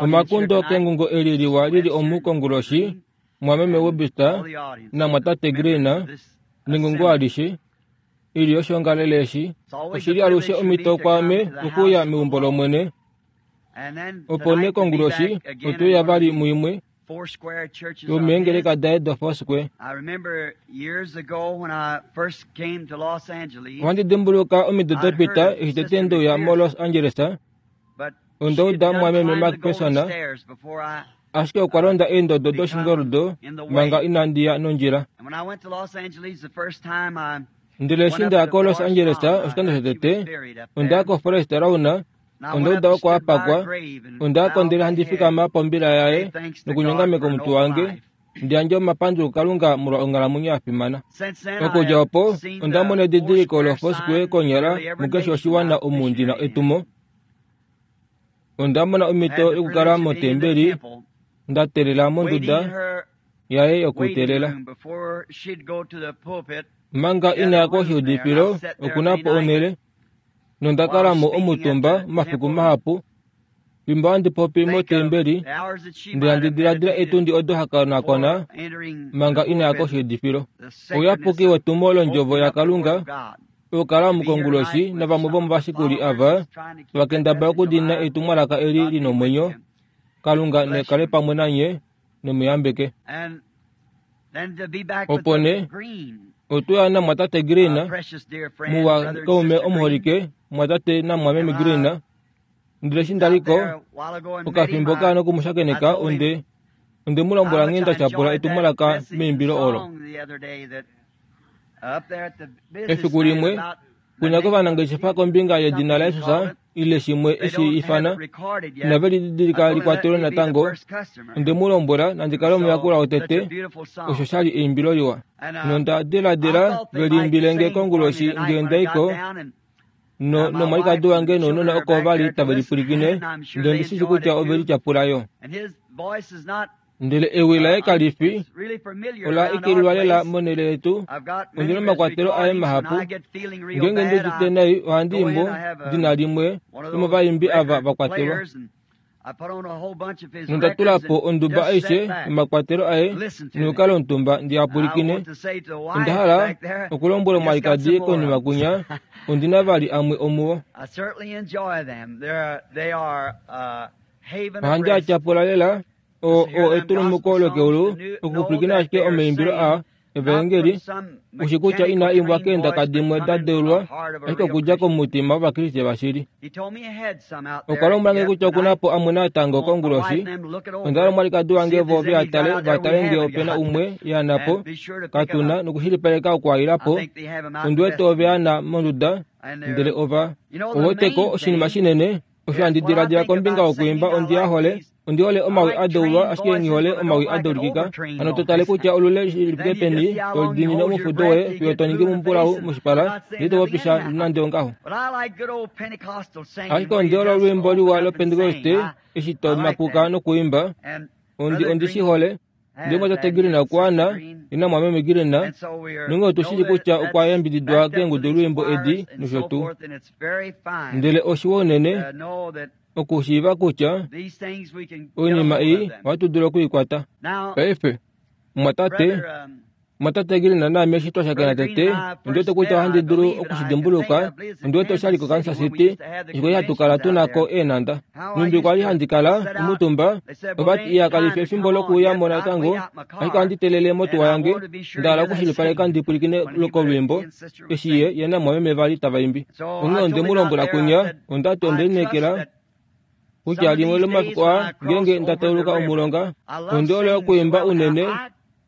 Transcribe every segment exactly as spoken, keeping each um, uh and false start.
Omakundo kengungo eli liwa lili omu konguloshi, mwameme Webster namwatate Green nengungo alishe ili oshongalele eshi. Oshili alushe omhito kwaame okuuya meumbo lOmwene. Opo nee konguloshi otweuya vali muimwe yomeengeleka daye doFoursquare. Ohandi dimbuluka omido dapita eshi tete ndeuya moLos Angeles. Onda uda mwameme McPherson, ashike okwa londa eendodo doshingoldo manga inandi ya nondjila. Ndele eshi ndaya koLos Angeles oshikando shotete, onda ya koForest Lawn, onda uda oko apakwa, onda yako ndele handi fikama pombila yaye nokunyongameka omutwe wange ndi yandje omapandulo kuKalunga molwa onghalamwenyo ya fimana. Okudja opo onda mona edidiliko loFoursquare konyala mukeshe oshiwana omu ndina etumo. Onda mona omhito yokukala motembeli nda teelela monduda yaye yokuteelela. Manga inaya koshiudifilo okuna po onhele, nonda kala mo omutumba omafiku mahapu fimbo handi popi motembeli, ndele handi diladila etundi odo hakonakona manga inaya koshiudifilo. Ouyapuki wetumo londjovo yaKalunga okukala omukonguloshi navamwe vomovashikuli ava vakendabala okudiinina etumwalaka eli lina omwenyo. Kalunga nekale pamwe nanye nomuyambeke. Opo nee otweya namwatate Green, muwa kaume omuholike, mwatate namwameme Green. Ndele eshi ndaliko okafimbo kaana okumushakeneka, onde onde mu lombwela nghee nda tyapula etumwalaka meimbilo olo. Efiku limwe kunya kovanangeshefa kombinga yedina laJesus ile shimwe eshi ifana inave lididilika likwatelwe natango. Onde mu lombwela nandi kale omuyakulwa wotete, osho shali eimbilo liwa. Nonda diladila veliimbile nge konguloshi ngee ndaiko no nomwalikadi wange nounona oko vali tave lipwilikine, ndele ondishishi kutya ove lityapula yo. Ndele ewi laye kalifi ola ikililwa lela monhele yetu. Ondina omakwatelo aye mahapu. Ngeenge ndi udite nai ohandi imbo ndina limwe lomovaimbi ava vakwatelwa. Nonda tula po onduba aishe yomakwatelo aye nokukala omutumba ndi apwilikine. Onda hala okulombwela omwalikadi konima kunya ondina vali amwe omuwo. Ohandi a tyapula lela o o etulumuko lokeulu okupwilikina ashike omaimbilo a evaengeli, ushi kutya inaa imbwa keendaka dimwe da deulwa, ashike okudja komutima wOvakriste vashili. Okwa lombwela nge kutya okuna po amwe natango konguloshi. Onda hala omwalikadi wange vo veatale vatale ngee opena umwe yana po katuna nokushilipaleka okuaila po. Ondi wete ove ana monduda, ndele ova oweteko oshinima shinene. Osho handi diladila kombinga yokuimba ondi ya hole. Ondi hole omawi a deulwa, ashike nghi hole omawi a deulikika. Hano to tale kutya olule lifike peni to diinine omufudo woye fiyo to ningi mumbulau moshipala, ndele to popisha nande ongaho. Ashike ondi hole olwiimbo liwa loPentekoste eshi to makuka nokuimba. Ondi ondi shi hole. Ndele mwatate Green okwa ana, ye namwameme Green, nonghee otu shii kutya okwa yambididwa keengudulwiimbo edi nosho tuu. Ndele oshiwa unene okushiiva kutya oinima ei ohatu dulu okuikwata. Paife, mwatate mwatate Green naame eshi twa shakena tete, ondi wete kutya ohandi dulu okushidimbuluka. Ondi wete oshali koKansas City eshi kwali hatu kala tunako eenhanda. Nhumbi kwali handi kala omutumba, ovati iya kalifi efimbo lokuuya mo natango, ashike ohandi teelele motuwa yange, nda hala okushilipaleka ndi pwilikine kolwiimbo eshi ye ye namwameme vali tava imbi. Onghee onde mu lombwela kunya, ondati onde lineekela kutya limwe lomafiku aa ngeenge nda tauluka omulonga, ondi hole okuimba unene,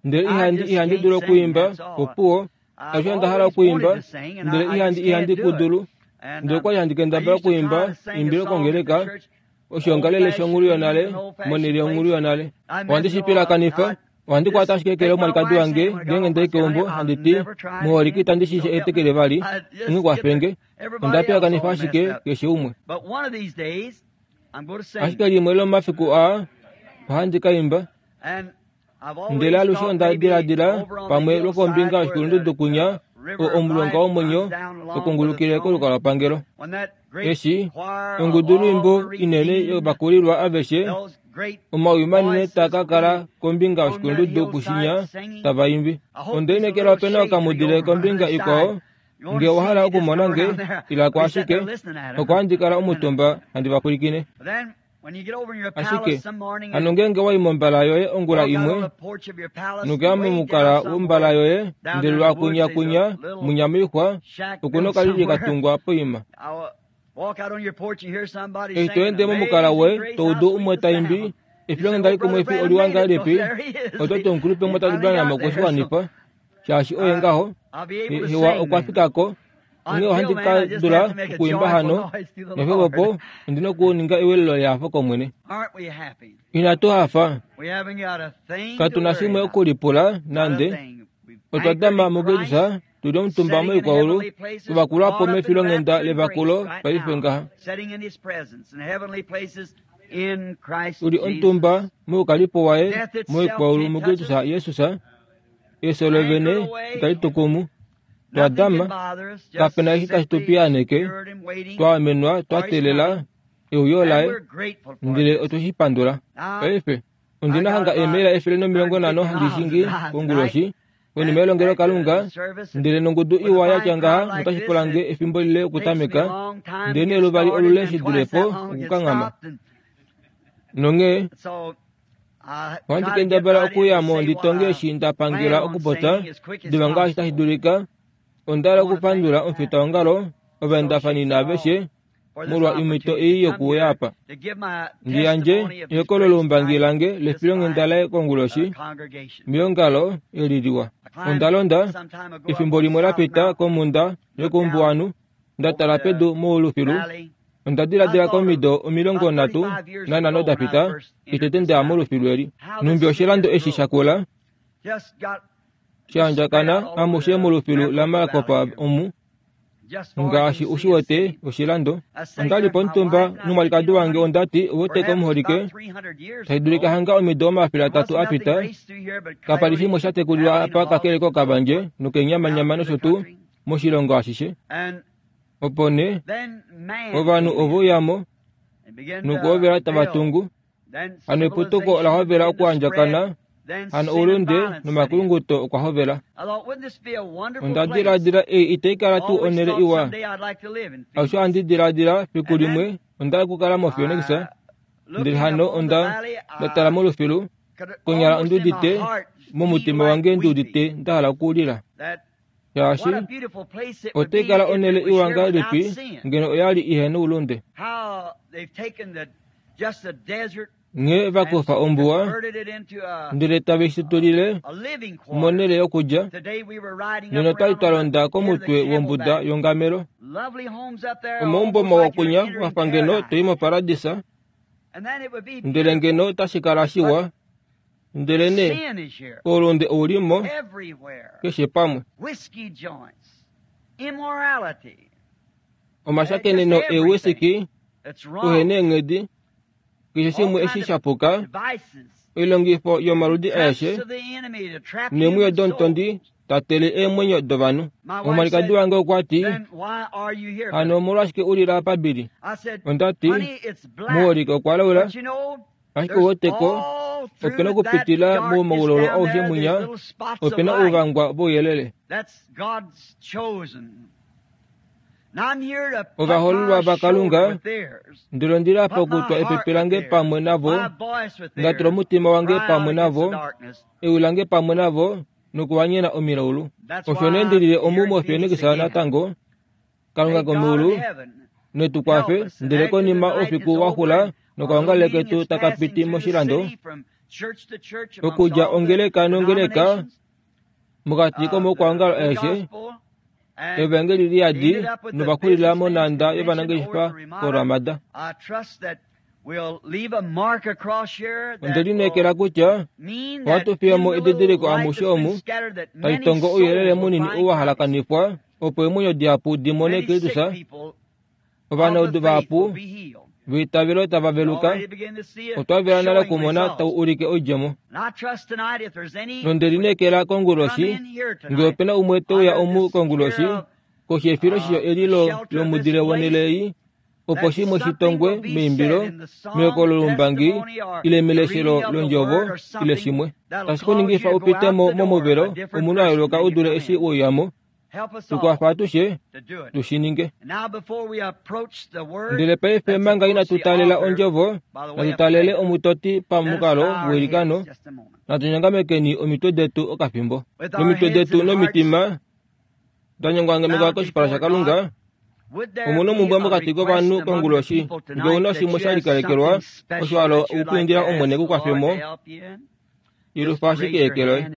ndele ihandi ihandi dulu okuimba opuwo. Alushe onda hala okuimba, ndele ihandi ihandi ku dulu. Ndele okwali handi kendabala okuimba eimbilo kongeleka, oshiongalele shonghulu yonale, monhele yonghulu yonale. Ohandi shi pilakanifa. Ohandi kwata ashike eke lomwalikadi wange ngeenge ndai keumbo, handi ti, muholike itandi shi etekele vali, onghee kwafenge. Onda pilakanifa ashike keshe umwe. Ashike limwe lomomafiku aa ohandi ka imba. Ndele alushe onda diladila pamwe lwokombinga yoshikulundudu kunya Omulonga womwenyo okungulukile kolukalwapangelo. Eshi ongudu lwiimbo inene yovakulilwa aveshe omawi manene taakakala kombinga yoshikulundudu kushinya tava imbi. Onde lineekela opena okamudile kombinga ikwao nge owahala okumona nge ilako ashike oko handi kala omutumba handi vapwilikine. Ashike hano ngeenge wayi mombala yoye ongula imwe nokuya momukala wombala yoye ndele lwakunyakunya munya moixwa okuna okalili katungwa poima. Eshi toende momukala woye toudu umwe taimbi efilonghenda likumwifi oliwa ngahelipi ototi omukulupe mwatatu Branham okweshiwanifa shaashi oye ngaho hewa okwa fikako onghee ohandi ka dula okuimba hano nefevopo ondina okuninga ewelelo lehafo kOmwene. Inatu hafa katuna shimwe okulipula nande otwa dama muKristus tuli omutumba moikwaulu tuvakulwapo mefilonghenda levakulo paife ngaha. Tuli omutumba moukalipo waye moikwaulu muKristus Jesus efyo lovene itali tukumu. Twadama kapena eshi tashi tu piyaaneke twaamenwa twa teelela euyo laye ndele otwe shi pandula. Paife ondina hanga eemaila efele nomilongo nhano handi shingi konguloshi konima yelongelokalunga ndele nongudu iwa yatya ngaha notashi pulange efimbo lile okutameka ndele neluvali olule shi dulepo okukanghama. Nonghee ohandi kendabala okuyamo ndi tonge eshi nda pangela okupopya diva ngaashi tashi dulika. Onda hala okupandula omufitaongalo ovaendafani naaveshe molwa omhito ei yokuuya apa. Ndi yandje ehokololoumbangi lange lefilonghenda laye konguloshi meongalo eli liwa. Onda londa efimbo limwe lapita komhunda yokoumbuwanhu nda tala pedu moulufilu. Onda diladila komido omilongo nhatu nanhano dapita etete ndeya molufilu eli. Nhumbi oshilando eshi shakula shaandjakana amushe molufilu laMaricopa omu ngaashi ushi wete oshilando. Ondali pomutumba nomwalikadi wange ondati ouweteko omuholike tashi dulika hanga omido omafele atatu apita kapali shimwe sha tekulilwa apa kakele kokavandje nokeenyamanyama nosho tuu moshilongo ashishe. Opo nee ovanhu oveuyamo nokuhovela tava tungu. Hano eputuko ola hovela okuandjakana hano oulunde nomakulunguto okwa hovela. Onda diladila ei itai kala tuu onhele iwa. Alushe ohandi diladila fiku limwe onda hala okukala moPhoenix ndele hano onda ndatala molufilu konyala ondiudite momutima wange ndiudite nda hala okulila. Shaashi otai kala onhele iwa ngahelipi ngeno oyali ihena oulunde. Nghee vakufa ombuwa ndele tave shi tulile monhele yokulya nena otwali twa londa komutwe wombuda yongamelo. Omaumbo mawa kunya wafa ngeno toi moparadisa ndele ngeno otashi kala shiwa ndele nee oulunde oulimo keshe pamwe. Omashakeneno eewisiki uhena eenghedi keshe shimwe eshi shapuka oilongifo yomaludi aeshe neemwiyo domutondi tatele eemwenyo dovanhu. Omwalikadi wange okwa ti hano omolwashike ulila apa Billy? Ondati muholike okwa laula ashike ouweteko opena okupitila momaulolo aushe mwinya opena ouvangwa vouyelele. Ovahoololwa vaKalunga ndele ondili apa okutwa epepe lange pamwe navo ndatula omutima wange pamwe navo ewi lange pamwe navo nokuwanyena omilaulu. Osho nee ndilile omu moPhoenix natango Kalunga komeulu netu kwafe ndele konima oufiku waxula nokaongalele ketu takapiti moshilando okudja ongeleka nongeleka mokati komaukwaongalo aeshe evangeli liyadi novakulila monhanda yovanangeshefa koRamada. Onde lineekela kutya ohatu fiyamo edidiliko amushe omu tali tongo ouyelele munini ou wa halakanifwa opo eemwenyo dihapu di mone Kristus. Ovanaudu vahapu Veitavelo tava veluka, otwa vela nale okumona tau ulike oidjemo. Nonde lineekela konguloshi, ngee opena umwe teuya omu konguloshi, koshi yefiloshisho eli lomudile wonhele ei, opo shimwe shitongwe meimbilo, mehokololombangi, ile meleshelo londjovo, ile shimwe tashi kuningifa upite mo momuvelo omunhu a yooloka u dule eshi weuyamo. Tukwafa atushe tushininge. Ndele paife manga inatu taalela ondjovo, natu taalele omutoti pamukalo weilikano, natu nyongamekeni omitwe detu okafimbo. Nomitwe detu nomitima da koshipala shaKalunga, omuna omumbwa mokati kovanhu konguloshi, ngee ouna shimwe sha likalekelwa, osho hala okwiindila Omwene kukwafemo, ilufa ashike eke loye.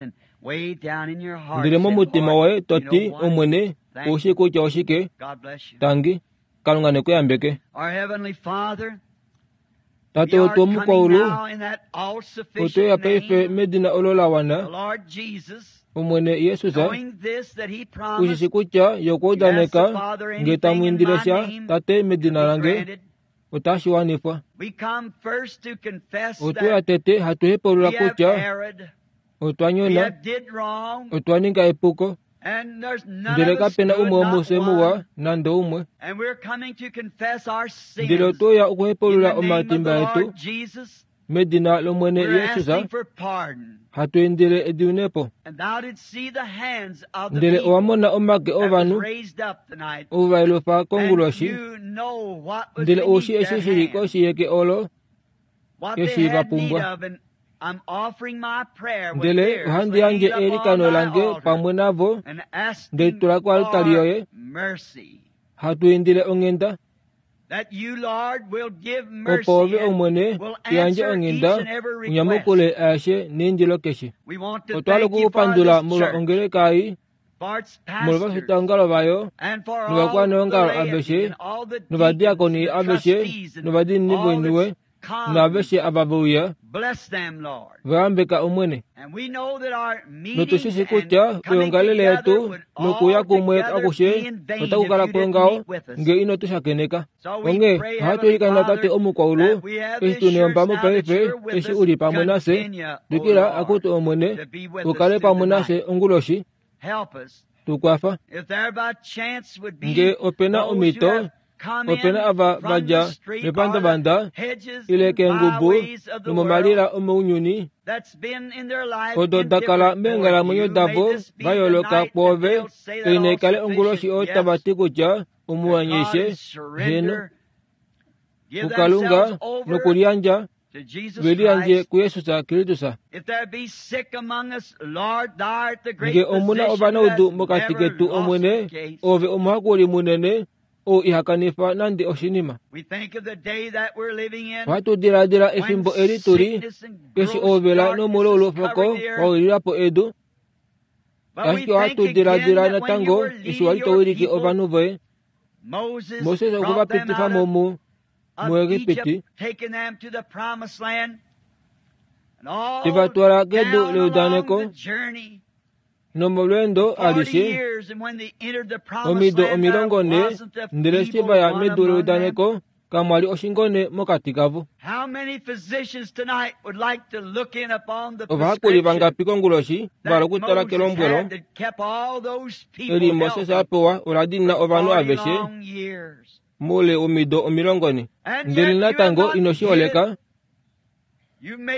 Ndele momutima woye to ti, Omwene, oushi kutya oshike? Tangi, Kalunga nekuyambeke. Tate wetu womukwaulu, otweya paife medina olo la wana, Omwene Jesus, ushishi kutya ye okwa udaneka ngee tamu indile sha Tate medina lange, otashi wanifwa. Otweya tete hatu hepaulula kutya otwa nyona, otwa ninga epuko, ndele kapena umwe womufye muwa nande umwe. Ndele otweya okuhepaulula omatimba etu medina lOmwene Jesus, hatu indile ediunepo. Ndele owa mona omake ovanhu ovo va yelufa konguloshi, ndele oushi eshi shili koshi yeke olo eshi va pumbwa. Ndele ohandi yandje eilikano lange pamwe navo, ndeli tula koaltari yoye, hatu indile onghenda, opo ove Omwene uyandje onghenda unyamukule aeshe neindilo keshe. Otwa hala okukupandula molwa ongeleka ei, molwa ovafitaongalo vayo, novakwaneongalo aveshe, novadiakoni aveshe, novadiinini voiniwe, naaveshe ava veuya, vayambeka Omwene. Notushishi kutya oyoongalele yetu nokuuya kumwe akushe otaku kala kwongaho ngee ino tu shakeneka. Onghee ohatu ilikana Tate omukwaulu, eshi tu neyombamo paife eshi uli pamwe nafye, twikila akutu Omwene, ukale pamwe nafye onguloshi, tukwafa. Ngee opena omhito, opena ava vadja mepandavanda ile keengubu nomomalila omounyuni, odo da kala meenghalamwenyo davo va yooloka kwoove, ei naikale onguloshi oyo tava ti kutya omuwanyishe, heno, kuKalunga nokuliyandja veliyandje kuJesus Kristus. Ngee omuna ovanaudu mokati ketu Omwene, ove omuhakuli munene ou ihakanifa nande oshinima. Ohatu diladila efimbo eli tuli, eshi ouvela nomuloulufoko wawililapo edu, ashike ohatu diladila natango eshi wali towilike ovanhu voye. Moses okwe va pitifa mo mu muEgipiti, te va twala kedu leudaneko, nomolweendo alishe omido omilongo nhe, ndele eshi va ya medu leudaneko kamwali oshingone mokati kavo. Ovahakuli vangapi konguloshi va hala okutala kelombwelo eli Moses a pewa ola dina ovanhu aveshe moule womido omilongo nhe, ndele natango ino shi holeka,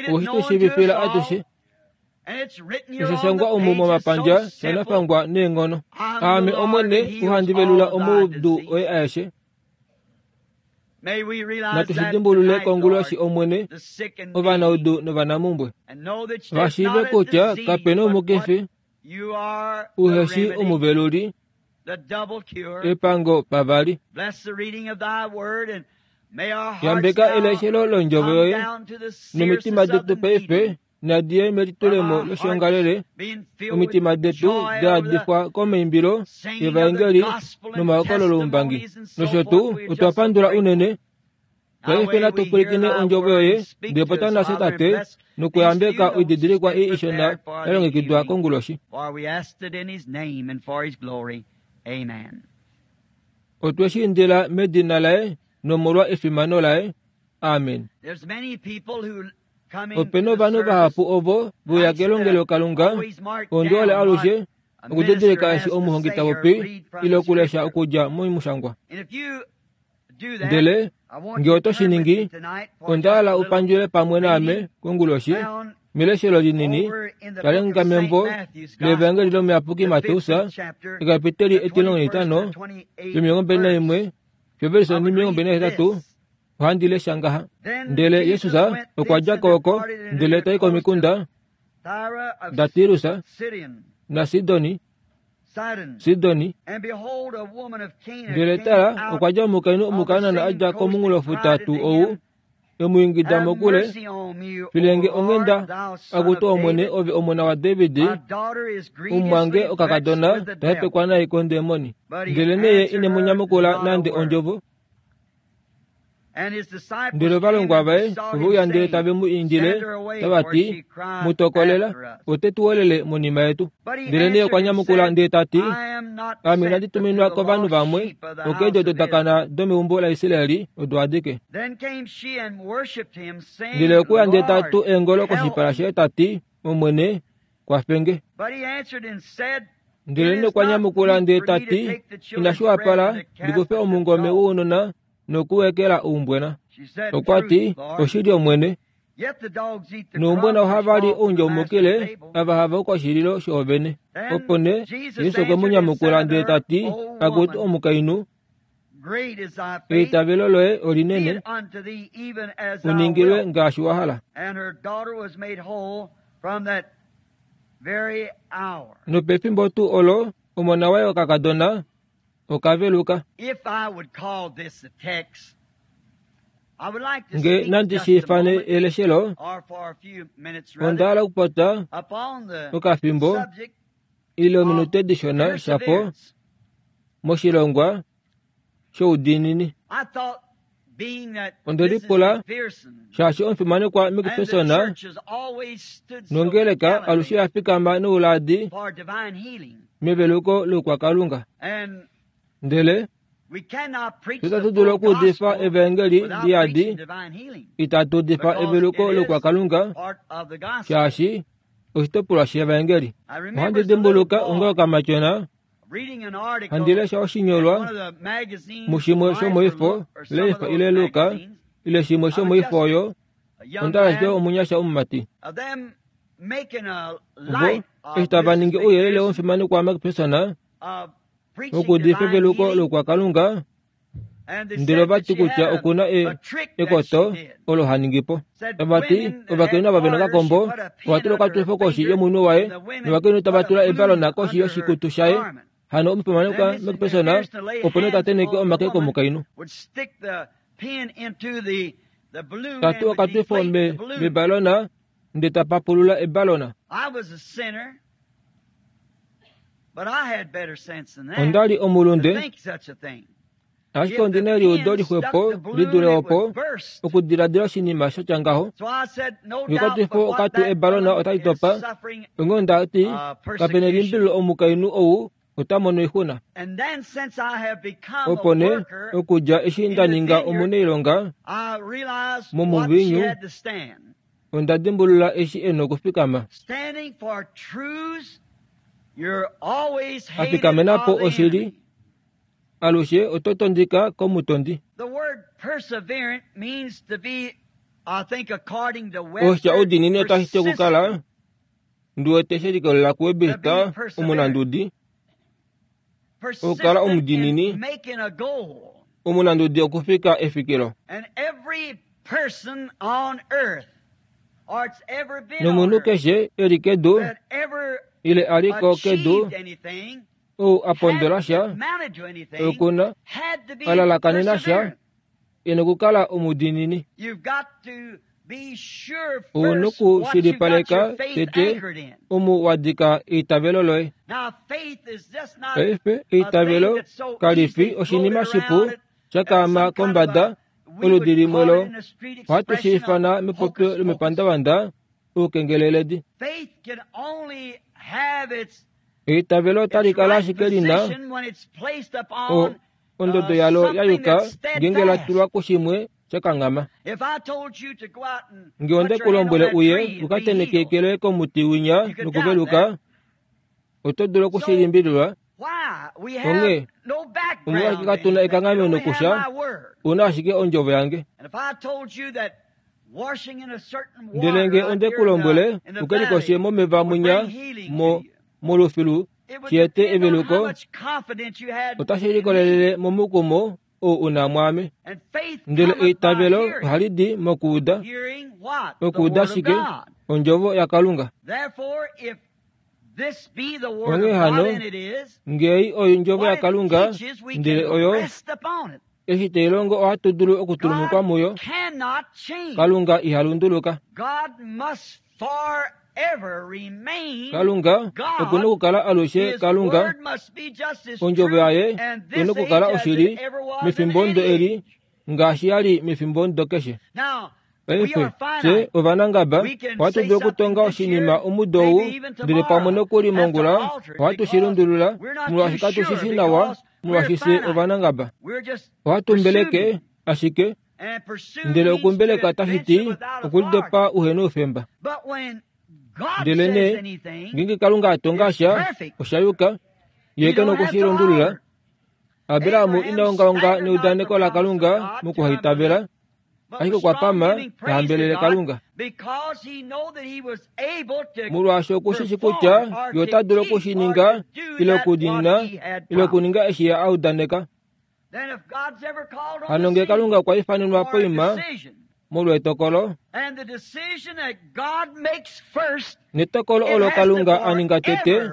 oweshi tu shiivifila atushe. Osha omu momapandja shanafangwa neenghono. Aame Omwene uhandi velula omaudu oye aeshe. Natu shi dimbulule konguloshi Omwene, ovanaudu novanamumbwe, va shiive kutya kapena omukifi uheshi omuveluli, epango pavali. Yambeka eleshelo londjovo yoye nomitima detu paife nadiye melitulemo loshiongalele, omitima detu daadifwa komaimbilo evaengeli nomahokololombangi. Nosho tuu otwa pandula unene. Paife natu pwilikine ondjovo yoye, ndele pota nafye Tate, nokuyambeka oididilikwa ei ishona ya longekidwa konguloshi. Otwe shi indila medina laye nomolwa efimano laye. Amen. Ope na ovanhu vahapu ovo veuya kelongelokalunga ondi hole alushe okudidilika eshi omuhongi ta popi ile okulesha okudja momushangwa. Ndele ngee oto shi ningi, onda hala upandjule pamwe naame konguloshi meleshelo linini talenga membo lEvangeli lOmuyapuki Mateus ekapiteli etilongo netitano lomilongo mbali naimwe fiyo omilongo mbali nahetatu. Ohandi lesha ngaha. Ndele Jesus okwa dja ko oko ndele tai komikunda daTirus naSidoni Sidoni. Ndele tala, okwa dja omukainhu Omukanaan a dja komunghulofuta tuu ou, e mu ingida mokule, filenge onghenda, akutu Omwene, ove omona waDavid, omumwange okakadona ta hepekwa nai kondemoni. Ndele neye ine mu nyamukula nande ondjovo. Ndele ovalongwa vaye ove uya ndele tave mu indile tava ti, mu tokolela, ote tu welele monima yetu. Ndele neye okwa nyamukula ndele ta ti, ame inandi tuminwa kovanhu vamwe, okeedi odo dakana domeumbo laIsraeli odo adike. Ndele okwe uya ndele ta tu eengolo koshipala shaye ta ti, Omwene, kwafenge. Ndele nokwa nyamukula ndele ta ti, inashi wapala ndikufe omungome wounona nokuwekela oumbwena. Okwa ti, oshili Omwene, noumbwena ohava li oundjaumukile ava hava u koshililo shoovene. Opo nee Jesus okwe mu nyamukula ndele ta ti, akutu omukainhu, eitavelo loye olinene, uningilwe ngaashi wa hala. Nopefimbo tuu olo omona waye okakadona okaveluka. Nge nandi shi ifane eleshelo, onda hala okupota okafimbo ile ominute dishona shapo moshilongwa shoudiinini. Onde lipula shaashi omufimanekwa McPherson nongeleka alushe ya fikama nouladi meveluko loukwakalunga. Ndele itatu dulu okuudifa evangeli liyadi itatu udifa eveluko loukwakalunga shaashi oshitopolwa shevangeli. Ohandi dimbuluka onga okamatyona handi lesha oshinyolwa mushimwe shomoifo Life ile Luka ile shimwe shomoifo oyo onda ashike omunyasha omumati. Vo eshi tava ningi ouyelele womufimanekwa McPherson okuudifa eveluko loukwakalunga, ndele ovati kutya okuna ekoto olo ha ningi po. Tavati ovakainhu ava vena okakombo ovatula okatufo koshi yomunwe waye novakainhu tava tula ebalona koshi yoshikutu shaye. Hano omufimanekwa McPherson opo nee ta tenheke omake komukainhu. Tatu okatufo mebalona ndele ta papulula ebalona. Onda li omulunde, ashike ondi na eliudo lixwepo li dule opo okudiladila oshinima shatya ngaho. Ngekatufo okatu ebalona otali topa, onghee onda ti kapena elimbililo omukainhu ou ota mono oixuna. Opo nee okudja eshi nda ninga omunailonga momuviinyu, onda dimbulula eshi e na okufikama. Afikamena po oshili, alushe oto tondika komutondi. Oshitya oudiinini otashi ti okukala ndi wete she likolelela kuWebster omunandudi, okukala omudiinini, omunandudi okufika efikilo. Nomunhu keshe e li kedu ile a li ko kedu ou a pondola sha, okuna a lalakanena sha, e na okukala omudiinini. Ou nokushilipaleka tete omu wa dika eitavelo loye. Paife eitavelo kali fi oshinima shipu sha kaama kombada oludi limwe lo ohatu shi ifana mepopyo lomepandavanda oukengeleledi. Eitavelo otali kala ashike lina ondodo yalo ya yuka ngeenge la tulwa kushimwe shakanghama. Nge onde ku lombwele uye u ka tenheke loye komuti winya nokuveluka, oto dulu okushilimbililwa. Onghee omolwashike katuna ekanghameno kusha, una ashike ondjovo yange. Ndele nge onde ku lombwele u ke likoshe momeva mwinya mo molufilu shiete eveluko, otashi likolelele momukumo ou una mwaame. Ndele eitavelo ohali di mokuuda. Okuuda shike? Ondjovo yaKalunga. Onghee hano, ngei oyo ondjovo yaKalunga, ndele oyo eshi tai longo ohatu dulu okutulumukwa muyo. Kalunga iha lunduluka. Kalunga okuna okukala alushe Kalunga. Ondjovo yaye oina okukala oshili mefimbo ndo eli ngaashi yali mefimbo ndo keshe. Paife fye ovanangaba ohatu dulu okutonga oshinima omudo ou, ndele pamwe nokuli mongula ohatu shi lundulula molwaashi katu shi shi nawa, molwaashi fye ovanangaba. Ohatu mbeleke ashike, ndele okumbeleka tashi ti okulidopa uhena oufemba. Ndele nee ngeenge Kalunga a tonga sha osha yuka, ye ke na okushilundulula. Abraham ina ongaonga neudaneko laKalunga mokuhaitavela, ashike okwa pama ta hambelele Kalunga. Molwaashi okushishi kutya ye ota dulu okushininga ile okudiinina ile okuninga eshi ye a udaneka. Hano ngee Kalunga okwa ifanenwa poima molwa etokolo, netokolo olo Kalunga a ninga tete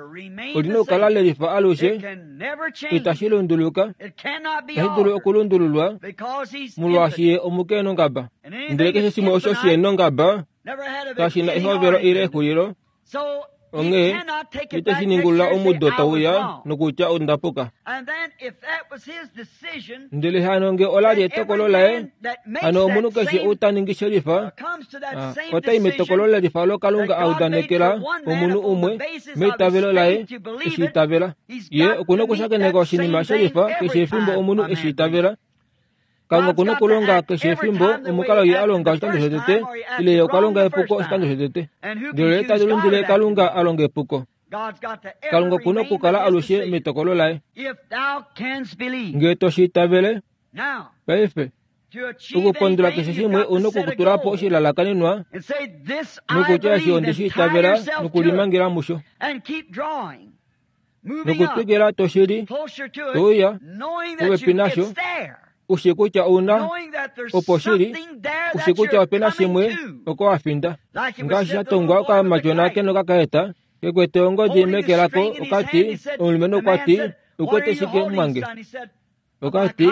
olina okukala lelifa alushe, itashi lunduluka, itashi dulu okulundululwa molwaashi ye omukenongaba. Ndele keshe shimwe osho shihenongaba kashi na ehovelo ile exulilo. Onghee ite shi ningulula omudo tauya nokutya onda puka. Ndele hano nge ola li etokolo laye, hano omunhu keshe ou ta ningi shelifa, otai metokolo lelifa olo Kalunga a udanekela omunhu umwe meitavelo laye eshi itavela. Ye okuna okushakeneka oshinima shelifa keshe efimbo omunhu eshi itavela. Kalunga okuna okulonga keshe efimbo omukalo ye a longa oshikando shotete, ile ye okwa longa epuko oshikando shotete. Ndele ye ta lundile Kalunga a longa epuko. Kalunga okuna okukala alushe metokolo laye. Ngee to shi itavele, paife okupondola keshe shimwe ouna okutula po oshilalakanenwa nokutya eshi onde shi itavela nokulimangela musho. Nokutwikila to shili, touya popepi nasho, ushi kutya ouna opo shili, ushi kutya opena shimwe oko wa finda. Ngaashi sha tongwa okamatyona ke nokakaeta kekwete ongodi meke lako, okati omulumenhu okwa ti, ukwete shike mwange? Okati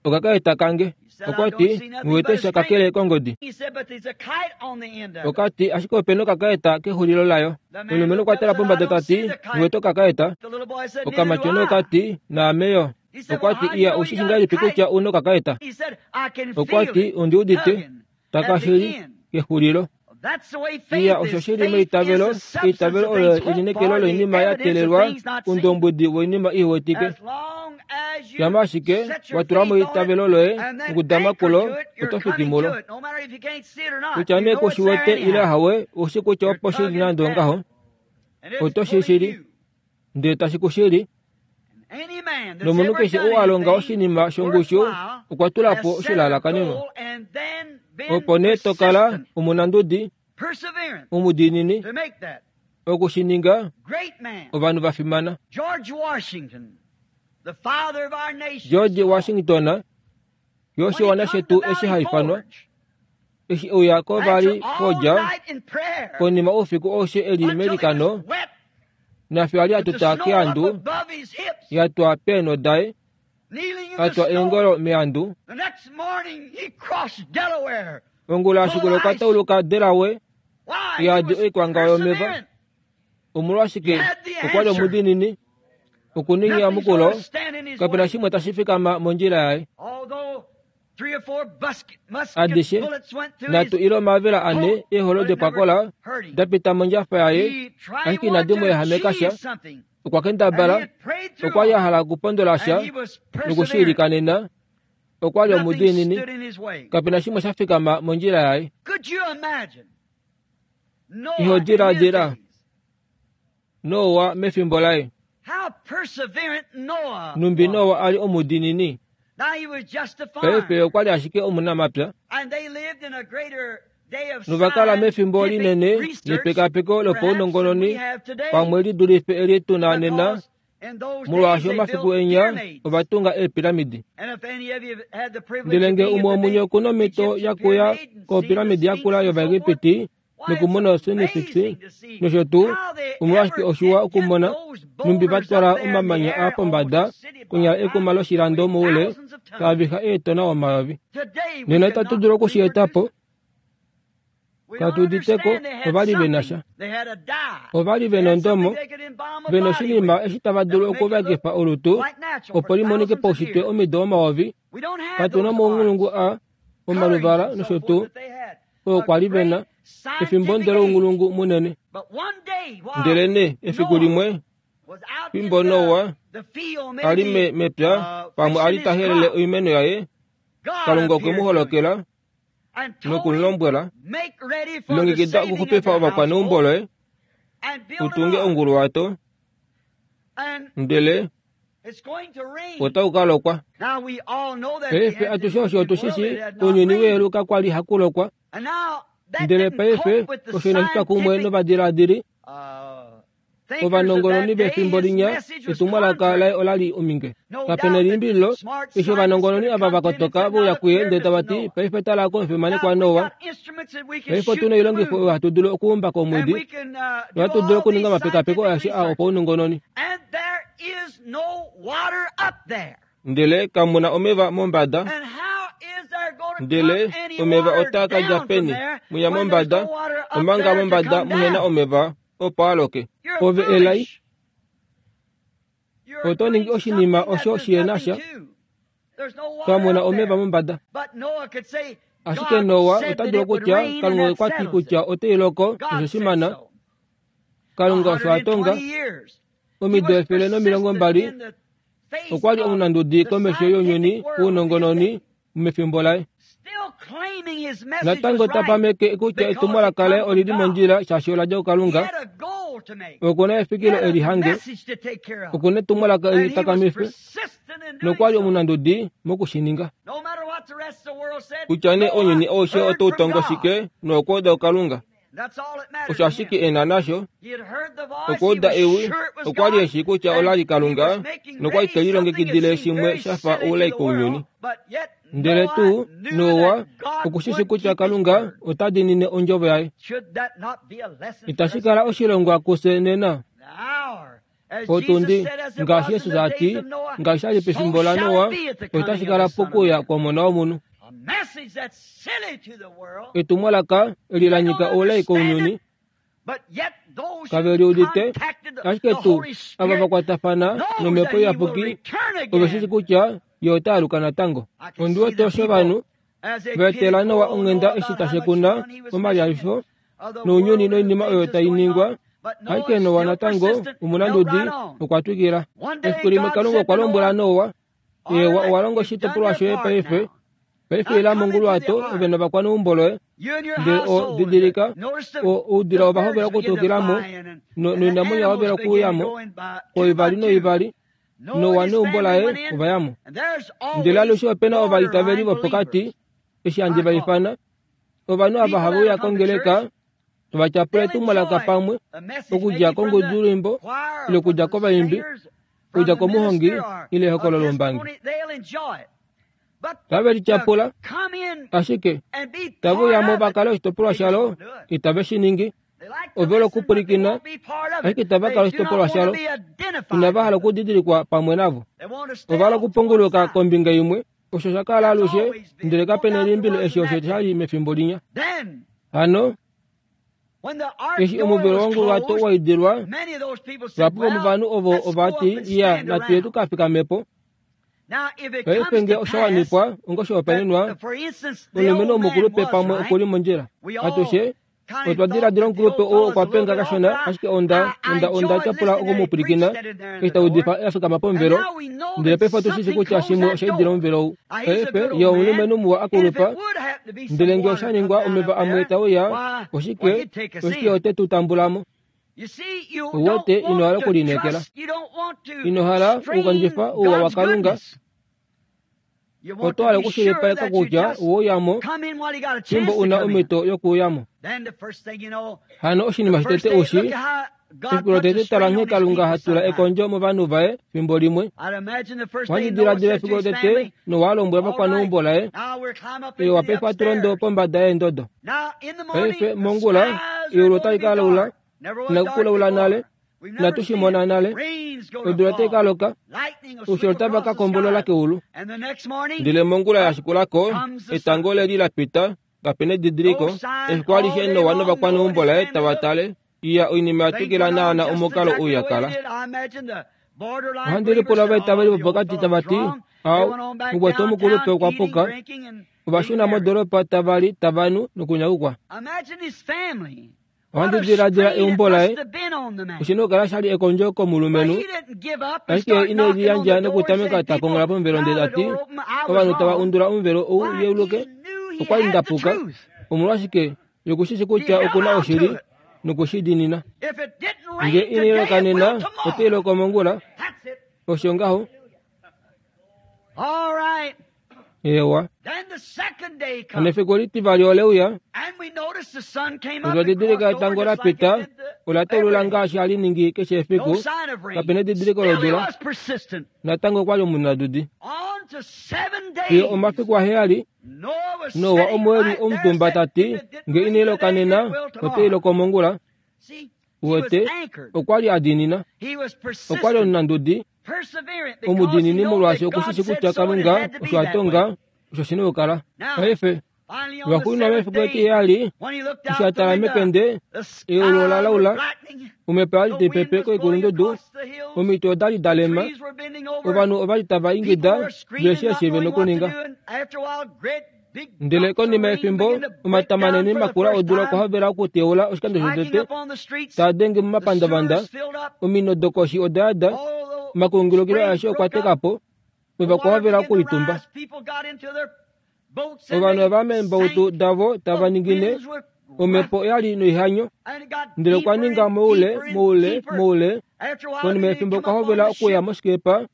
okakaeta kange. Okwati nghiwete sha kakele kongodi. Okati ashike opena okakaeta kexulilo layo. Omulumenhu okwa tala pombada tati nghiwete okakaeta. Okamatyona okati naame yo. Okwati iya ushishi ngahelipi kutya una okakaeta? Okwati ondi udite takashili kexulilo. Iya osho shili meitavelo. Eitavelo olo elinekelo loinima ya teelelwa, oundombwedi woinima iwetike. Shama ashike wa tula mo eitavelo loye nokudama kulo, oto fiki mulo. Kutya nee ku shi wete ile ahawe, oushi kutya opo shili nande ongaho, oto shi shili, ndele tashi ku shili. Nomunhu keshe ou a longa oshinima shongushu okwa tula po oshilalakanenwa. Opo nee to kala omunandudi, omudiinini, okushininga ovanhu va fimana. George Washington, yo oshiwana shetu eshi haifanwa, eshi euya ko vali kodja konima oufiku aushe eli melikano, nafye ali atuta keandu, yatwa peenho daye, atwa eengolo meandu. Ongula ashikula okwa tauluka Delaware, yadi oikwanga yomeva. Omolwashike okwa li omudiinini, okuninga enyamukulo, kapena shimwe tashi fikama mondjila yaye. Adishe nhatu ile omavela ane eeholo dopwakola da pita mondjafa yaye, ashike inadi mu ehameka sha. Okwa kendabala, okwa li a hala okupondola sha nokushiilikanena, Okwa li Nothing omudiinini, stood in his way. kapena shimwe sha fikama mondjila yaye. Could you imagine? Noah Iho in his diladila. days. Noa mefimbo laye. How perseverant Noah Numbi was. Noa ali omudiinini. Now he was just a Paife farmer. okwa li ashike omunamapya. And they lived in a greater day of Novakala mefimbo scientific linene research lepekapeko perhaps than we lopaunongononi have today. pamwe li dulife eli tuna nena Because in those days molwaashi they omafiku built enya pyramids. ovatunga eepiramidi. And if any of you have had the privilege Ndele of nge being umwe at the womunye big okuna omhito Egyptian yakuya pyramid and seen the kopiramidi Sphinx yakula and so forth, yOvaegipiti why, it's nokumona osinifiksi amazing to see nosho tuu how they omolwashike ever oshiwa did get okumona those numbi boulders vatwala up there in the omamanya air a almost pombada a city konyala block ekuma high, loshilando weighed moule thousands of tons. taaviha eetona omayovi. Today we Nena could itatu not dulu okushieta reproduce po it. We don't katuditeko understand they had ovali ve na something. sha. They had a dye. Ovali They ve had something nondomo they could embalm a ve body noshinima with eshi tava that dulu would make it look okuvakefa olutu quite natural opo for limonike thousands of paushitwe years. omido omayovi. We don't have Katuna those mounghulungu arts, a colorings omaluvala and so nosho forth tuu that they had. oo A kwa li ve na great efimbo scientific ndele age. ounghulungu munene. But one day while Ndelene efiku Noah limwe was out in fimbo the, Noa the field, ali maybe me mepya uh, pamwe ali fixing his tahelele crop, oimeno yaye God Kalunga okwe appeared mu to him holokela and told him, nokumlombwela make ready for the longekida saving of okuxupifa your ovakwaneumbo household loye and build an utunge ark. onguluwato And ndele it's going to rain. otau ka lokwa. Now we all know that the Paife atushe osho antediluvian otu world shi it shi had not ounyuni rained. weelu kakwa li hakulokwa. And now that Ndele didn't paife cope with the osho inashi twa kumwe scientific novadiladili uh, thinkers of ovanongononi that day. vefimbo His linya message was etumwalaka contrary. laye olali ominge. No Kapena doubt that elimbililo smart eshi scientists ovanongononi could have ava come to him and vakotoka said, veuya now look kuye here, ndele tava Mister ti Noah. paife tala komufimane Now kwa we Noa got instruments that we can paife shoot otuna the oilongifo moon. oyo hatu dulu okuumba And komwedi we can uh, do nohatu dulu all okuninga these omapekapeko scientific aeshe aa research. opaunongononi. And there is no water up there. Ndele kamuna omeva mombada And how is there going to ndele come any omeva water otaa ka dja down from peni there muya when there's mombada no water up omanga there to mombada come muhena down? omeva opo aloke. You're Ove elai foolish. You're oto ningi doing oshinima something that osho there's shihena nothing sha to. There's no water kamuna up omeva there. mombada. But Noah could say, Ashike God Noa said ota that dulu it would okutya rain and Kalunga that okwa ti settles it. kutya oteiloko God osho said shimana so. Kalunga osho a tonga a hundred and twenty years. He omido was efele nomilongo persistent mbali in the face okwa li of omunandudi the komesho younyuni scientific world in his wounongononi day, mefimbo laye. still claiming his message Natango was ta right pameke kutya because it etumwalaka laye come from olili God. mondjila shaashi ola dja He kuKalunga. had a goal to make. Okuna He efikilo had a eli hange message to take care of. okuna etumwalaka eli And he was takamife persistent in doing nokwa li so. omunandudi mokushininga. No matter what the rest of the world said, Kutya nee Noah ounyuni aushe heard otau from tongo God. shike nokuuda kuKalunga. That's all that mattered Osho to ashike him. ena nasho He had heard the voice, he okuuda was ewi sure it was okwa li God, eshi kutya ola and li he Kalunga was making nokwa li ready te something that lilongekidile seemed shimwe very sha fa silly to oulai the kounyuni. world, but yet Ndele Noah tuu knew Noa that God okushishi would kutya keep his Kalunga word. ota diinine ondjovo yaye. Should that not be a lesson for Itashi us kala today? oshilongwa kufye nena. The hour, as Jesus Otundi said, as it ngaashi was in Jesus the a days ti of Noah, ngaashi sha li so pefimbo shall laNoa it be at the coming otashi of kala the Son of pokuya Man. kwomona womunhu. A message that's silly to the world. Etumwalaka eli They la don't nyika oulai understand kounyuni it, but yet those kave who li udite contacted the, ashike the tuu Holy ava Spirit vakwatafana knows nomhepo that he will iyapuki return ove shishi again. kutya ye ota aluka natango. I can Ondi see wete the osho people ovanhu as they va etela pitied Noa poor old onghenda Noah eshi about how much tashekuna fun he was missing momalihafifo and of the nounyuni world and the noinima things oyo that's tai going ningwa on. But Noah, ashike Noa still natango persistent, held omunandudi right on. okwa twikila. One day Efiku limwe God Kalunga said okwa to lombwela Noah, Noa All ewa right, owa longa you've done oshitopolwa your shoye part paife now. paife Now ila come into the monguluwato ark, ove novakwaneumbo loye you and your ndele o household. And didilika notice the, o oudila the ova hovela birds begin to okutukilamo fly in and, no- and the noinamwenyo animals oya hovela begin to okuuyamo go in by two by koivali two. noivali Noah Noa and his neumbo family laye went in, ova yamo. and there's Ndele always alushe opena ovaitaveli borderline vopokati believers. eshi handi I va call them. ifana ovanhu ava People have that'll uya come to kongeleka church, vachapula they'll etumwalaka enjoy pamwe the message okudja maybe from the kongudulwimbo choir ile or from okudja the kovaimbi singers, from okudja the komuhongi minister or ile a ehokololo lombangi. testimony. They'll enjoy it. But Tave li to tyapula come in ashike and be tave part uyamo of va it, kale oshitopolwa they just shalo won't do it. itave shi ningi. They like to Ove listen, but they lokupulikina won't be part of ashike it. itava They kala do not oshitopolwa want to shalo be identified inava hala with it. okudidilikwa pamwe navo. They want to stay Ova hala off to one okupongoloka side. kombinga imwe osho sha kala That's alushe always been. ndele No kapena doubt there elimbilo was eshi in osho that sha day. li mefimbo linya. Then, Hano when the ark eshi door omuvelo was wonguluwato closed, wa idilwa many of those people said, vahapu Well, vomovanhu ovo let's go ova up ti and iya stand natuye around. tukafikamepo. Now, if it Paife comes nge to osha pass wanifwa onga that, oshihopaenenwa uh, for instance, the omulumenhu old man omukulupe was pamwe right, okuli mondjila we all atushe Otwa diladila omukulupe oo okwa penga kashona, ashike onda onda onda tyapula okumupwilikina eshi ta udifa a fikama pomuvelo. Ndele paife otu shi shii kutya shimwe osha idila omuvelo ou. Paife ye omulumenhu muwa a kulupa, ndele ngee osha ningwa omeva amwe tauya, oshike oshike ote tu tambula mo. Uwete ino hala okulineekela, ino hala okukondjifa ouwa waKalunga. Oto hala okushilipaleka kutya oweuyamo fimbo una omhito yokuuyamo. Hano oshinima shotete ushi, efiku lotete tala nghee Kalunga ha tula ekondjo movanhu vaye fimbo limwe. Ohandi diladila efiku lotete Noa a lombwela ovakwaneumbo laye, ewa paife ohatu londo pombada yeendodo. Paife mongula eulu otali ka laula, inaku kulaula nale, inatu shi mona nale. Odula otai ka loka, oushilo otava ka kombolola keulu. Ndele mongula ya shikulako, etango leli la pita, kapena edidiliko, efiku alishe Noa novakwaneumbo laye tava tale, iya oinima ya twikila naana omukalo ou ya kala. Ohandi lipula ovaitaveli vopokati tava ti, Au, mukwetu omukulupe okwa puka. Ova shuna modoropa tava li tava nu nokunyakukwa. Ohandi diladila eumbo laye oshina okukala sha li ekondjo komulumenhu, ashike ine liyandja nokutameka ta kongola pomuvelo ndele ta ti, ovanhu tava undula omuvelo ou yeuluke, okwa li nda puka. Omolwashike yokushishi kutya okuna oshili nokushi diinina. Nge inai loka nena, otai loko mongula. Osho ngaho. Ewa. Hano efiku litivali ole uya, notwa didilika etango la pita, ola taulula ngaashi hali ningi keshe efiku, kapena edidiliko lodula. Natango okwa li omunadudi. Fiyo omafiku aheyali, Noa omo e li omutumba ta ti, nge inai loka nena, otai loko mongula. Uwete, okwa li a diinina. Okwa li omunandudi, omudiinini molwaashi okushishi kutya Kalunga osho a tonga, osho shina okukala. Paife, lwaxuuninwa mefiku etiheyali, eshi a tala mekende, eulu ola laula, omhepo oya li tai pepe koikulundudu, omiti oda li da lema, ovanhu ova li tava ingida vehe eshi ve nokuninga. Ndele konima yefimbo, omata manene makula odula okwa hovela okuteula oshikando shotete, taa denge momapandavanda, ominino dokoshi oda yada, omakungulukilo aeshe okwa teka po, omeva okwa hovela okulitumba. Ovanhu ova meembautu davo tava ningine, omhepo oya li noihanyo, ndele okwa ninga moule, moule, moule. Konima yefimbo okwa hovela okuya moshikepa,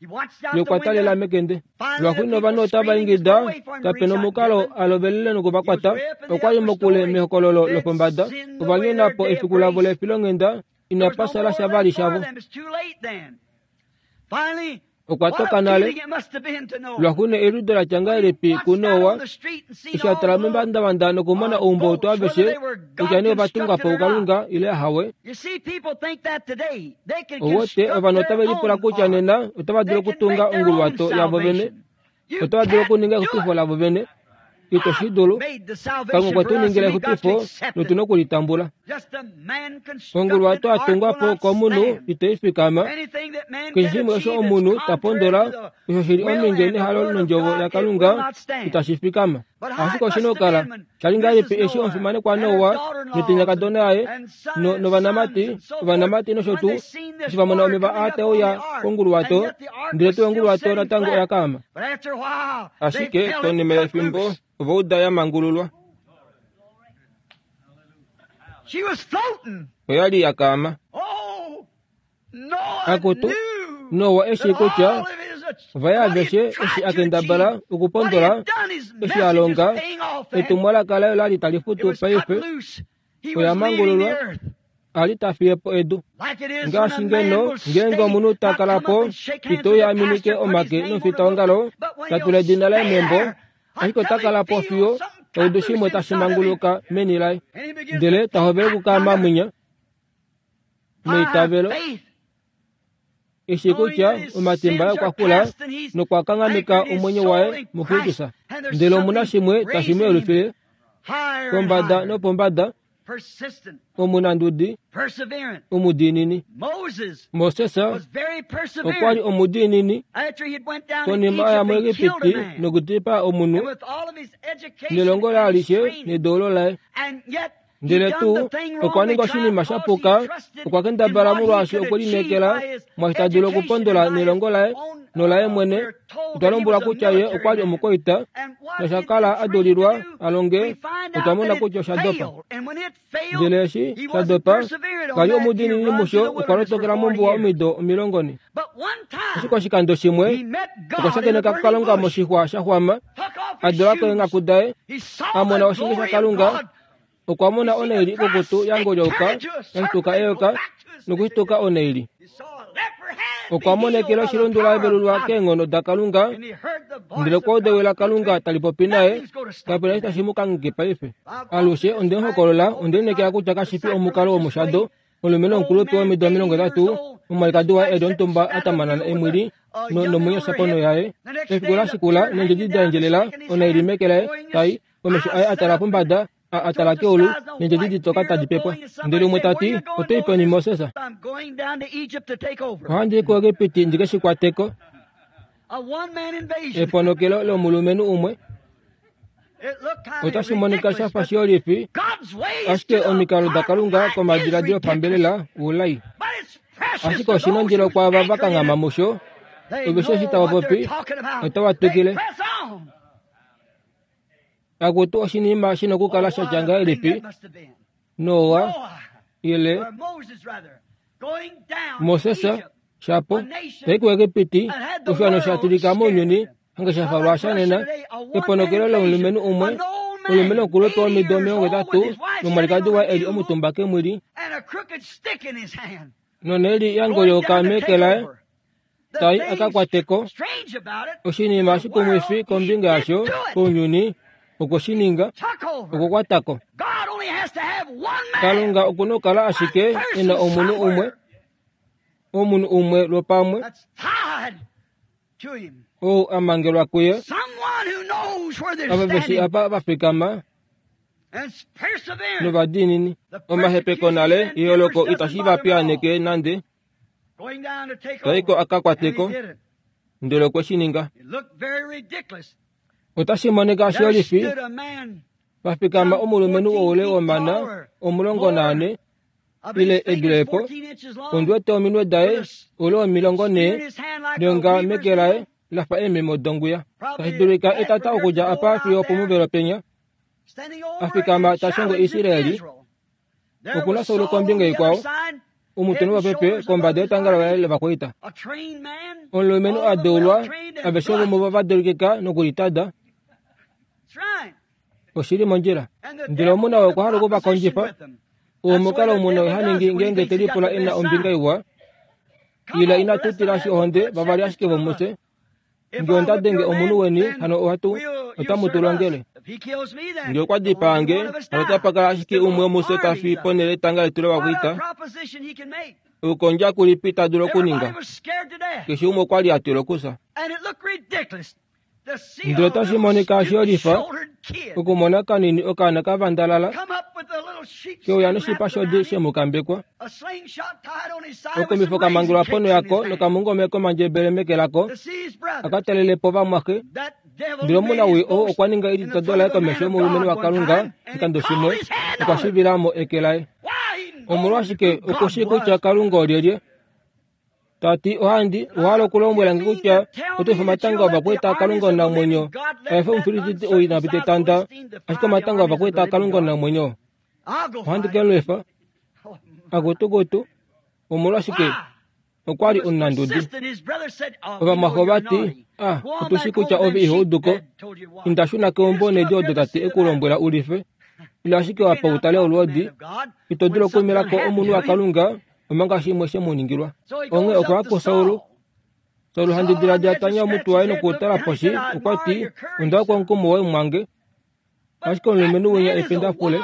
ye okwa talela mekende. Lwaxuuninwa ovanhu otava ingida, kapena omukalo a lovelele nokuvakwata. Okwa li mokule mehokololo lopombada, ova nyona po efiku lavo lefilonghenda, inapa sala sha vali shavo. Okwa toka nale. Lwaxuuninwa eliudo la tya ngahelipi kuNoa, eshi a tala momapandavanda nokumona oumbautu aveshe, kutya nee ova tungwa po kuKalunga ile ahawe. Ouwete, ovanhu otave lipula kutya nena otava dulu okutunga onguluwato yavo vene, otava dulu okuninga exupifo lavo vene. Ito shi dulu. Kalunga okwe tu ningila exupifo notu na okulitambula. Onguluwato ya tungwa po komunhu itai fikama. Keshe shimwe osho omunhu ta pondola, osho shi li ominge nehalo nondjovo yaKalunga, itashi fikama. Ashike oshina okukala sha li ngahelipi eshi omufimanekwa Noa notenyakadona yaye novanamati, ovanamati nosho tuu, eshi va mona omeva aa tae uya konguluwato, ndele tuu onguluwato natango oya kaama. Ashike konima yefimbo ova uda ya mangululwa. Oya li ya kaama. Akutu, Noa eshi kutya ovaye aveshe eshi a kendabala okupondola, eshi a longa, etumwalaka laye ola li tali futu paife, oya mangululwa, a li ta fiye po edu. Ngaashi ngeno ngeenge omunhu ta kala po, ito uya a minike omake nomufitaongalo, ta tula edina laye membo, ashike ota kala po fiyo oudu shimwe tashi manguluka meni laye, ndele ta hovele okukaama mwinya meitavelo, eshi kutya omatimba aye okwa kula nokwa kanghameka omwenyo waye muKristus. Ndele omuna shimwe tashi mu yelufile pombada nopombada, omunandudi, omudiinini. Moses okwa li omudiinini konima aya muEgipiti nokudipaa omunhu, nelongo laye alishe nedoulo laye. Ndele tuu okwa ninga oshinima sha puka, okwa kendabala molwaashi okwe lineekela mwaashi ta dulu okupondola nelongo laye nolaye mwene. Otwa lombwelwa kutya ye okwa li omukwaita nosha kala a dulilwa a longe. Otwa mona kutya osha dopa. Ndele eshi sha dopa, ka li omudiinini musho, okwa lotokela mombuwa omido omilongo ne. Ashike oshikando shimwe okwa shakeneka Kalunga moshixwa sha xwama, a dula keenghaku daye, a mona oshinge shaKalunga. Okwa mona oneili ikukutu ya ngolyauka ya shituka eyoka nokushituka oneili. Okwa monekela oshilundu la velulwa keenghono daKalunga, ndele okwa udewela Kalunga tali popi naye. Kapena eshi tashi mu kangheke paife. Alushe onde mu hokolola, onde lineekela kutya kashi fi omukalo womushado. Omulumenhu omukulupe womido omilongo hetatu, omwalikadi waye e li omutumba a tamanana emwili nomwenyo ponho yaye. Efiku la shikula neendjedi da endjelela oneili meke laye tai, omesho aye a tala pombada, a a tala keulu, neendjedi ditoka tadi pepwa. Ndele umwe ta ti, oto i peni Moses? Ohandi i kuEgipiti ndi ke shi kwateko. Eponokelo lomulumenhu umwe. Otashi monika sha fa shiyolifi, ashike omikalo daKalunga komadiladilo opambelela oulai. Ashike oshi nondilo kwaava va kanghama musho, ove eshi tava popi, otava twikile. Akutu oshinima shi nokukala sha tya ngahelipi Noa ile Moses shapo tai kuEgipiti, oshiwana sha tilika mounyuni hange sha falwa sha nena. Eponokelo lomulumenhu umwe, omulumenhu omukulupe womido omilongo hetatu nomwalikadi waye e li omutumba kemwili noneili ya ngolyauka meke laye tai a ka kwateko. Oshinima shikumwifi kombinga yasho kounyuni okwe shi ninga, okukwatako. Kalunga okuna okukala ashike e na omunhu umwe, omunhu umwe lwopamwe ou a mangelwa kuye, ava veshi apa va fikama novadiinini. Omahepeko nale eyooloko itashi va piyaaneke nande. Taiko a ka kwateko, ndele okwe shi ninga. Otashi monika shiyolifi pa fikama omulumenhu woule womana omulongo naane ile edulepo, ondi wete ominwe daye oule womilongo nhee neonga meke laye la fa eememo donguya. Tashi dulika etata okudja apa fiyo opomuvelo penya, a fikama ta shongo Israeli. Okuna Saul kombinga ikwao, omutwe nomapepe kombada yetanga laye lovakwaita. Omulumenhu a deulwa, aveshe vomuvo va deulikika nokulitada. Oshili mondjila. Ndele omuna okwa hala okuvakondjifa. Omukalo omunhu ha ningi ngeenge te lipula e na ombinga iwa, ila inatu tilashi ohonde vavali ashike vomufye. Ngee onda denge omunhu weni, hano ohatu otamu tu longele. Ngee okwa dipaa nge, hano otapa kala ashike umwe womufye ta fi ponhele yetanga letu lovakwaita. Okukondja kulipi ta dulu okuninga? Keshe umwe okwa li a tila okufya. Ndele otashi monika shiyolifa okumona kanini okaana ka vandalala keuya noshipa shodi shemukambekwa, okomifo ka mangelwa ponho yako nokamungome komandjebele meke lako, aka talele po vamwaxe. Ndele omunawii oo okwa ninga elitodo laye komesho yomulumenhu waKalunga oshikando shimwe, okwa shivila mo eke laye. Omolwashike okushii kutya Kalunga olyelye? Ta ti, ohandi owa hala okulombwela nge kutya oto ifa omatanga ovakwaita aKalunga omunamwenyo a efe Omufilisti ou ina pita etanda, ashike omatanga ovakwaita aKalunga omunamwenyo ohandi ke mu lwifa. Akutukutu, omolwashike okwa li omunandudi. Ovamwaxe ova ti, ah, otu shii kutya ove iho udu ko. Inda shuna keumbo needi odo tate e ku lombwela u life. Ila ashike apa u tale olwoodi. Ito dulu okuumela ko omunhu waKalunga omanga shimwe she mu ningilwa. Onghee okwa ya kuSaul. Saul handi diladila tanya omutwe waye nokutala poshi, okwa ti, onda kwa omukumo woye mwange. Ashike omulumenhu winya ependafule,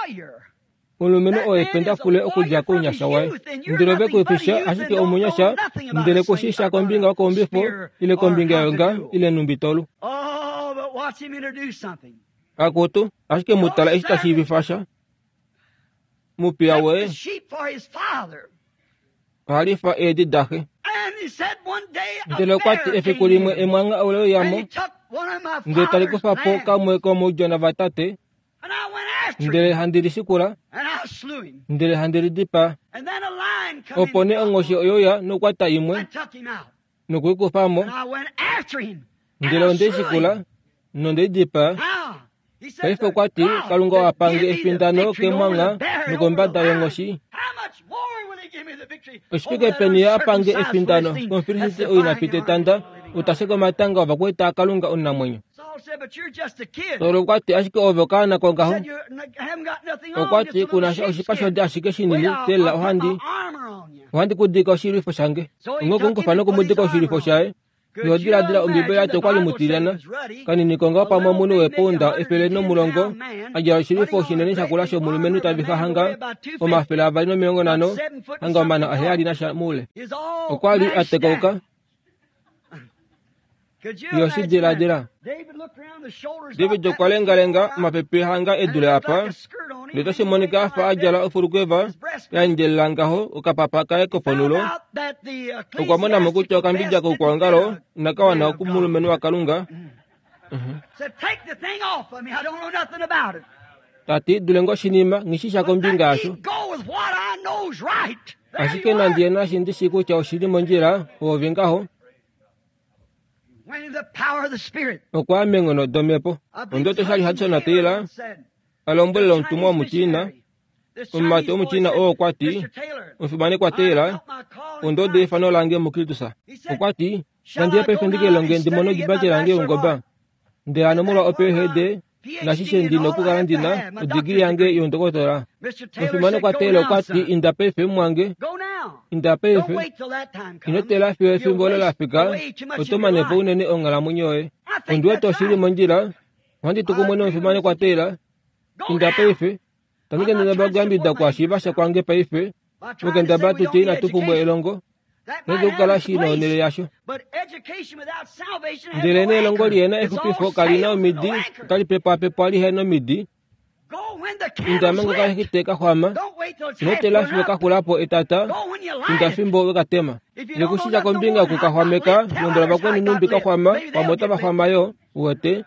omulumenhu oo ependafule okudja kounyasha waye. Ndele ove ku fisha ashike omunyasha, ndele ku shi sha kombinga yokaumbifo ile kombinga yonga ile numbi tolu. Akutu, ashike mu tala eshi ta shiivifa sha. Mupiya woye oha lifa eedi daxe. Ndele okwa ti efiku limwe emwangha ole uya mo, ndele tali kufa po kamwe komoudjona vatate, ndele handi li shikula, Ndele handi lidipaa. Opo nee onghoshi oyoya nokwata imwe nokuikufamo. Ndele ondeishikula nondeidipaa. Paife okwa ti Kalunga owa pange efindano kemwangha nokombada yonghoshi. Oshifike peni ye apange efindano kOmufilisti ou ina pita etanda, utasheka omatanga ovakwaita aKalunga omunamwenyo. Saul okwa ti ashike ove okaana kongaho. Okwa ti kunasha oshipa shodi ashike shinini teelela ohandi ohandi kudika oshilwifo shange. Onghee okumukufa nokumudika oshilwifo shaye. Iho diladila Ombibeli yati okwali mutilyana kanini kongaho pamwe omunhu weepounda efele nomulongo a djala oshilwifo shinene shakula shomulumenhu tavixa hanga omafele avali nomilongo nhano hanga omana aheyali nasha moule. Okwa li a tekauka. Iho shi diladila. David okwa lengalenga omapepe hanga edule apa, ndele otashi monika afa a djala ofulukweva ya endjelela ngaho okapapa kaye koponhulo. Okwa mona mo kutya okambidja koukwaongalo inaka wana kumulumenhu waKalunga. Tati dulenge oshinima nghishisha kombinga yasho. Ashike nandi ye nashi ndishi kutya oshili mondjila oove ngaho. Okwa meenghono domhepo. Ondoto oshali Hudson Taylor a lombwelela omutumwa womuChina, omumati womuChina oo okwa ti, omufimanekwa Taylor, ondodo eifano lange muKristus. Okwa ti, nandi ye paife ndike lilonge ndi mone odibacela yange youngoba. Ndele hano molwa o P H D nashishe ndi nokukala ndina odigili yange youndokotola. Omufimanekwa Taylor okwa ti inda paife mumwange, inda paife, ino teelela fiyo efimbo olo lafika, oto manepo unene onghalamwenyo yoye. Ondi wete oshili mondjila, ohandi tu kumwe nomufimanekwa Taylor, inda paife, tandi kendabala okuyambidida okuhashiivasha kwange paife, mokendabala tutye inatu pumbwa elongo, otashi okukala shi na onhele yasho. Ndele nee elongo lihena exupifo kalina omidi, otali pepwapepwa lihena omidi. Inda manga okashiti kaxwama, ino teelela fiyo kaxulapo etata, inda fimbo wekatema. Ngee kushisha kombinga yokukaxwameka, lombwela vakweni nhumbi kaxwama, pamwe otava xwama yo, uwete.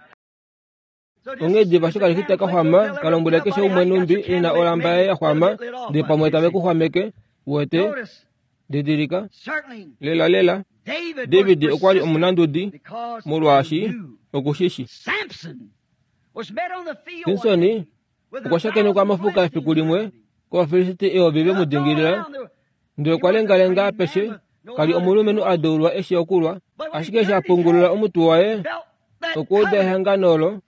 Onghee diva eshi okalexita kaxwama, kalombwele keshe umwe nhumbi ena olamba yaye yaxwama, ndele pamwe tave kuxwameke, uwete. Didilika lela lela David okwa li omunandudi molwaashi okushishi. Simson okwa shakenekwa mofuka efiku limwe kOvafilisti eyovi ve mu dingilila, ndele okwa lengalenga apeshe, kali omulumenhu a deulwa eshi okulwa, ashike eshi a pungulula omutwe waye okwa uda ehangano olo,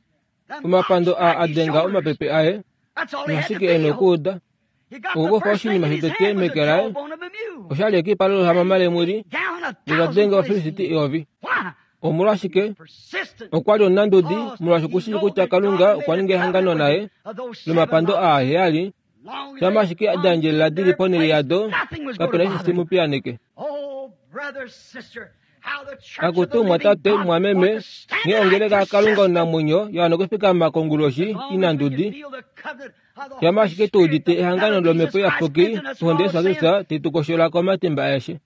omapando aa a denga omapepe aye, noshike e na okuuda. Okukufa oshinima shotete meke laye oshali ekipa lohamama lemwili ndele ta denge Ovafilisti eyovi. Omolwashike? Okwa li omunandudi molwaashi okushii kutya Kalunga okwa ninga ehangano naye lomapando aa aheyali, shama ashike da endjelela dili ponhele yado, kapena eshi shi mu piyaaneke. Akutu mwatate mwameme, nghee ongeleka yaKalunga omunamwenyo ya wana okufikama konguloshi inandudi, shama ashike tu udite ehangano lOmhepo Iyapuki ohonde yaJesus Kristus tai tu koshola komatimba aeshe.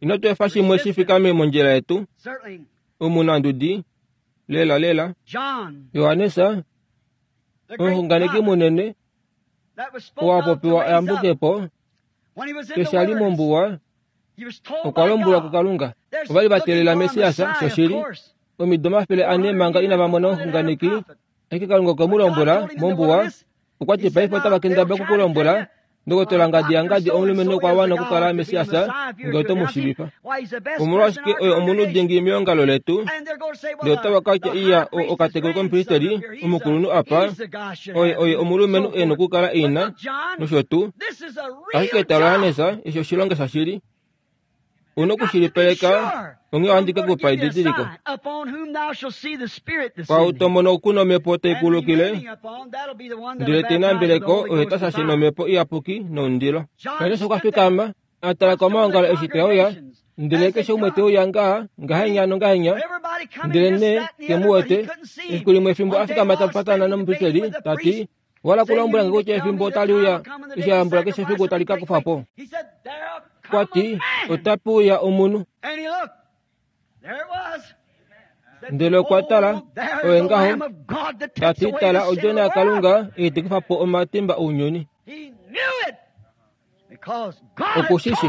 Ino tu efa shimwe shi fikame mondjila yetu, omunandudi, lela lela. Johannes, omuxunganeki munene, oo a popiwa ayambuke po, eshi a li mombuwa, okwa lombwelwa kuKalunga. Ova li va teelela Messias, shoshili, omido omafele ane manga inava mona omuxunganeki, ashike Kalunga okwe mu lombwela mombuwa. Okwa ti paife otava kendabala okukulombwela, ndokotola ngadi yangadi omulumenhu okwa wana okukala Messias ngee oto mu shiivifa. Omolwashike oye omunhu dingi meongalo letu, ndele otava ka tya iya okatekulu komupristeli omukulunhu apa, oye oye omulumenhu e nokukala ina, nosho tuu. Ashike tala Johannes, eshi oshilonga shashili. Una okushilipaleka, onghee ohandi ke kupa edidiliko. Kwaau to mono ku nomhepo tai kulukile, ndele te nambeleko oye ta shashe nomhepo iyapuki nomundilo. Johannes okwa fikama, a tala komaongalo eshi te uya, ndele keshe umwe te uya ngaha, ngahenya nongahenya, ndele nee ke mu wete. Efiku limwe fimbo a fikama ta patana nomupristeli, ta ti, wala kulombwela nge kutya efimbo otali uya, eshi a yambula keshe efiku tali ka kufa po. Okwa ti, otape uya omunhu. Ndele okwa tala oye ngaho ta ti tala odjona yaKalunga ei te kufa po omatimba ounyuni. Okushishi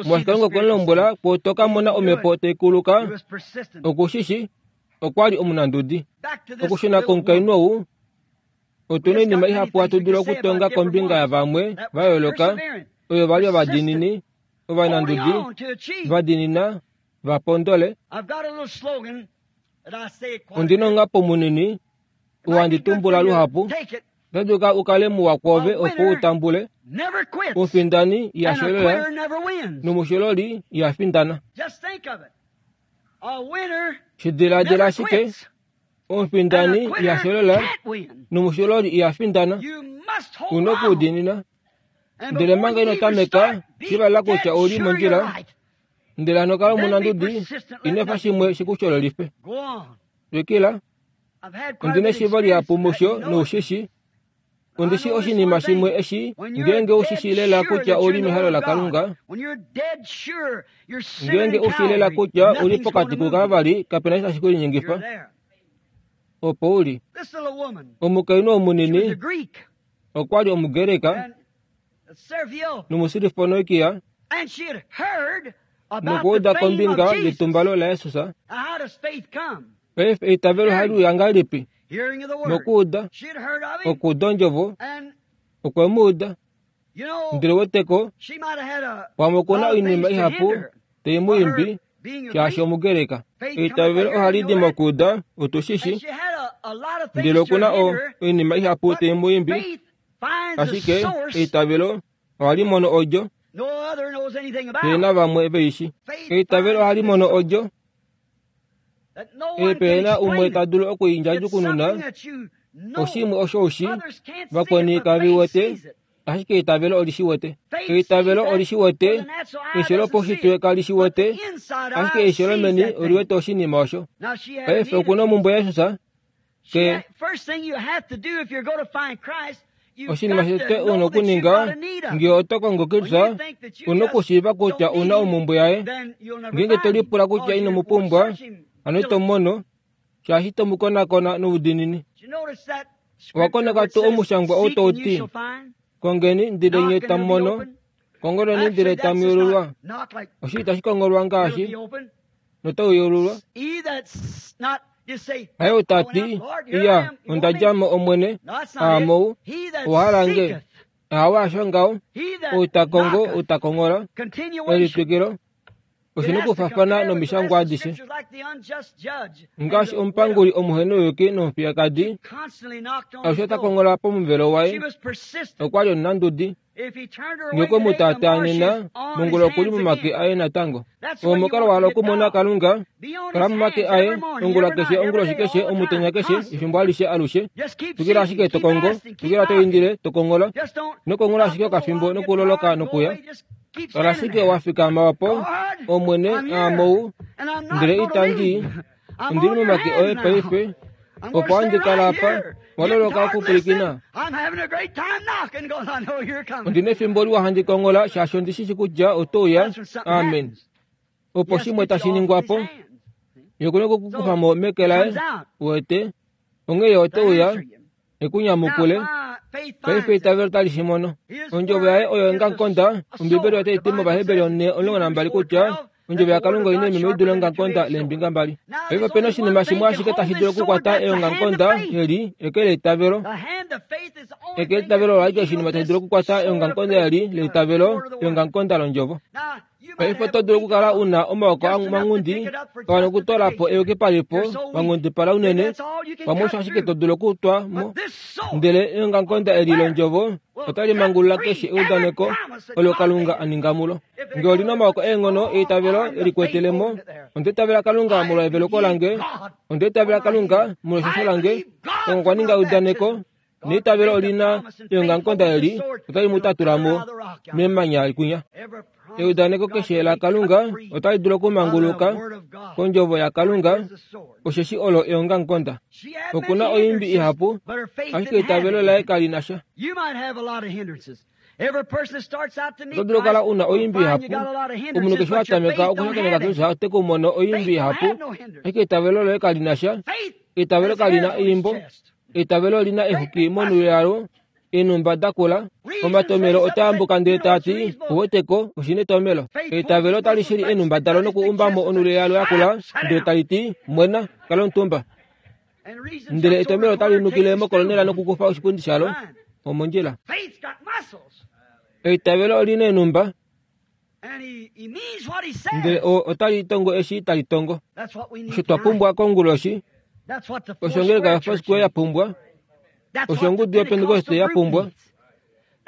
molwaashi Kalunga okwe mu lombwela kwo to ka mona omhepo tai kuluka. Okushishi okwa li omunandudi. Okushuna komukainhu ou, otu na oinima ihapu hatu dulu okutonga kombinga yavamwe va yooloka oyo va li ovadiinini, ovanandudi, va diinina, va pondole. Ondi na omunghapo munini oo handi tumbula luhapu. Ota dulu u kale muwa kwoove opo u tambule. Omufindani iha sholola nomushololi iha findana. Shi diladila ashike, omufindani iha sholola nomushololi iha findana. Una okudiinina. Ndele manga ino tameka, shiiva kutya ouli mondjila, ndele hano kala omunandudi, ino efa shimwe shikushololife. Twikila. Ondi na eshiivo lihapu musho noushishi. Ondi shi oshinima shimwe eshi ngeenge ushi lela kutya ouli mehalo laKalunga, ngeenge ushi lela kutya ouli pokati kuKalvari, kapena eshi tashi kulinyengifa. Opo uli. Omukainhu oo munini okwa li Omugreka nomuSirifonoikia nokuuda kombinga yetumbalo laJesus. Paife eitavelo ohali uya ngahelipi? Mokuuda. Okuuda ondjovo. Okwe mu uda. Ndele weteko, pamwe oku na oinima ihapu tai mu imbi shaashi Omugreka. Eitavelo ohali di mokuuda, otu shi shi. Ndele oku na oinima ihapu tai mu imbi, ashike eitavelo ohali mono odjo pe na vamwe veishi. Eitavelo ohali mono odjo pe na umwe ta dulu okuindjadjukununa. Oshimwe osho ushi, vakweni kave wete, ashike eitavelo oli shi wete. Eitavelo oli shi wete, eisho lopaushitwe kali shi wete, ashike eisho lomeni oli wete oshinima osho. Paife oku na omhumbwe yaJesus. Ke oshinima shotete una okuninga ngee oto kongo Kristus, una okushiiva kutya una omhumbwe yaye. Ngeenge to lipula kutya ino mu pumbwa, hano ito mono, shaashi ito mu konakona noudiinini. Owa koneka tuu omushangwa ou tau ti, kongeni ndele nye tamu mono, kongoleni ndele tamu yeululwa. Oshi itashi kongolwa ngaashi notau yeululwa. Haye ou ta ti, iya, onda dja mo Omwene, aamou, owa hala nge. Ahawe hasho ngaho, ou ta kongo, ou ta kongola, elitwikilo. Oshi na okufafana nomishangwa adishe. Ngaashi omupanguli omuhenouyuki nomufiyekadi, alushe ota kongola pomuvelo waye. Okwa li omunandudi. Ngee okwe mu taataa nena, mongula okuli momake aye natango. Oo omukalo wa hala okumona Kalunga, kala momake aye, ongula keshe, onguloshi keshe, omutenya keshe, efimbo alishe alushe. Twikila ashike to kongo, twikila to indile, to kongola. Ino kongola ashike okafimbo nokuloloka nokuya. Kala ashike wa fikama opo, Omwene, aamou, ndele itandi, ondili momake oye paife, opo handi kala apa, wa loloka okupwilikina. Ondi na efimbo liwa handi kongola shaashi ondi shi shi kutya oto uya. Amen. Opo shimwe tashi ningwa po, ye okuna okukufa mo meke laye, uwete, onghee ye ote uya ekunyamukule. Paife eitavelo tali shi mono. Ondjovo yaye oyo ongakonda. Ombibeli otai ti mOvaheberi omulongo nambali kutya ondjovo yaKalunga oina oimeno i dule ongakonda leembinga mbali. Paife opena oshinima shimwe ashike tashi dulu okukwata eongakonda eli, eke leitavelo. Eke leitavelo olo ashike oshinima tashi dulu okukwata eongakonda eli leitavelo, eongakonda londjovo. Paife oto dulu okukala una omaoko manghundi, kawana okutoola po eyukipalifo, wanghundipala unene, pamwe osho ashike to dulu okutwa mo. Ndele eongakonda eli londjovo otali mangulula keshe eudaneko olo Kalunga a ninga mulo. Ngee oli na omaoko eenghono eitavelo e likwetele mo, onda itavela Kalunga molwa eveluko lange, onda itavela Kalunga molwa eshasho lange, Kalunga okwa ninga eudaneko, neitavelo oli na eongakonda eli, otali mu tatula mo memanya kwinya. Eudaneko keshe laKalunga otali dulu okumanguluka kondjovo yaKalunga, osheshi olo eongakonda. Oku na oimbi ihapu, ashike eitavelo laye kali na sha. Oto dulu okukala una oimbi ihapu. Omunhu keshe watameka okushakeneka Kristus ote ku mono oimbi ihapu, ashike eitavelo loye kali na sha. Eitavelo kali na eimbo. Eitavelo olina exuki monhulo yalo, eenhumba dakula. Omatomelo otaambuka ndele taati, ouweteko, oshina etomelo. Eitavelo otali shili eenhumba dalo nokuumbamo onhulo yalo yakula, ndele tali ti, mwena, kala omutumba. Ndele etomelo otali nukile mokolonela nokukufa oshipundi shalo. Omondjila. Eitavelo olina eenhumba, ndele otali tongo eshi tali tongo. Osho twa pumbwa konguloshi, osho ongeleka yoFoursquare ya pumbwa, osho ongudu yoPentecost ya pumbwa,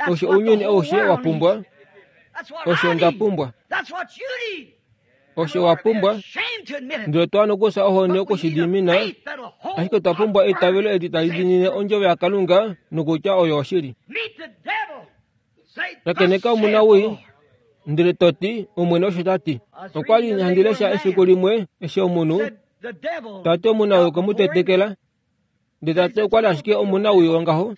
osho ounyuni aushe wa pumbwa, osho nda pumbwa, osho wa pumbwa. Ndele otwa nokufya ohoni okushidimina, ashike otwa pumbwa eitavelo eli tali diinine ondjovo yaKalunga nokutya oyo oshili. Shakeneka omunawii, ndele to ti, Omwene osho ta ti. Okwa li handi lesha efiku limwe eshi omunhu tati omunawii okwe mu tetekela, ndele tati okwa li ashike omunawii wongaho,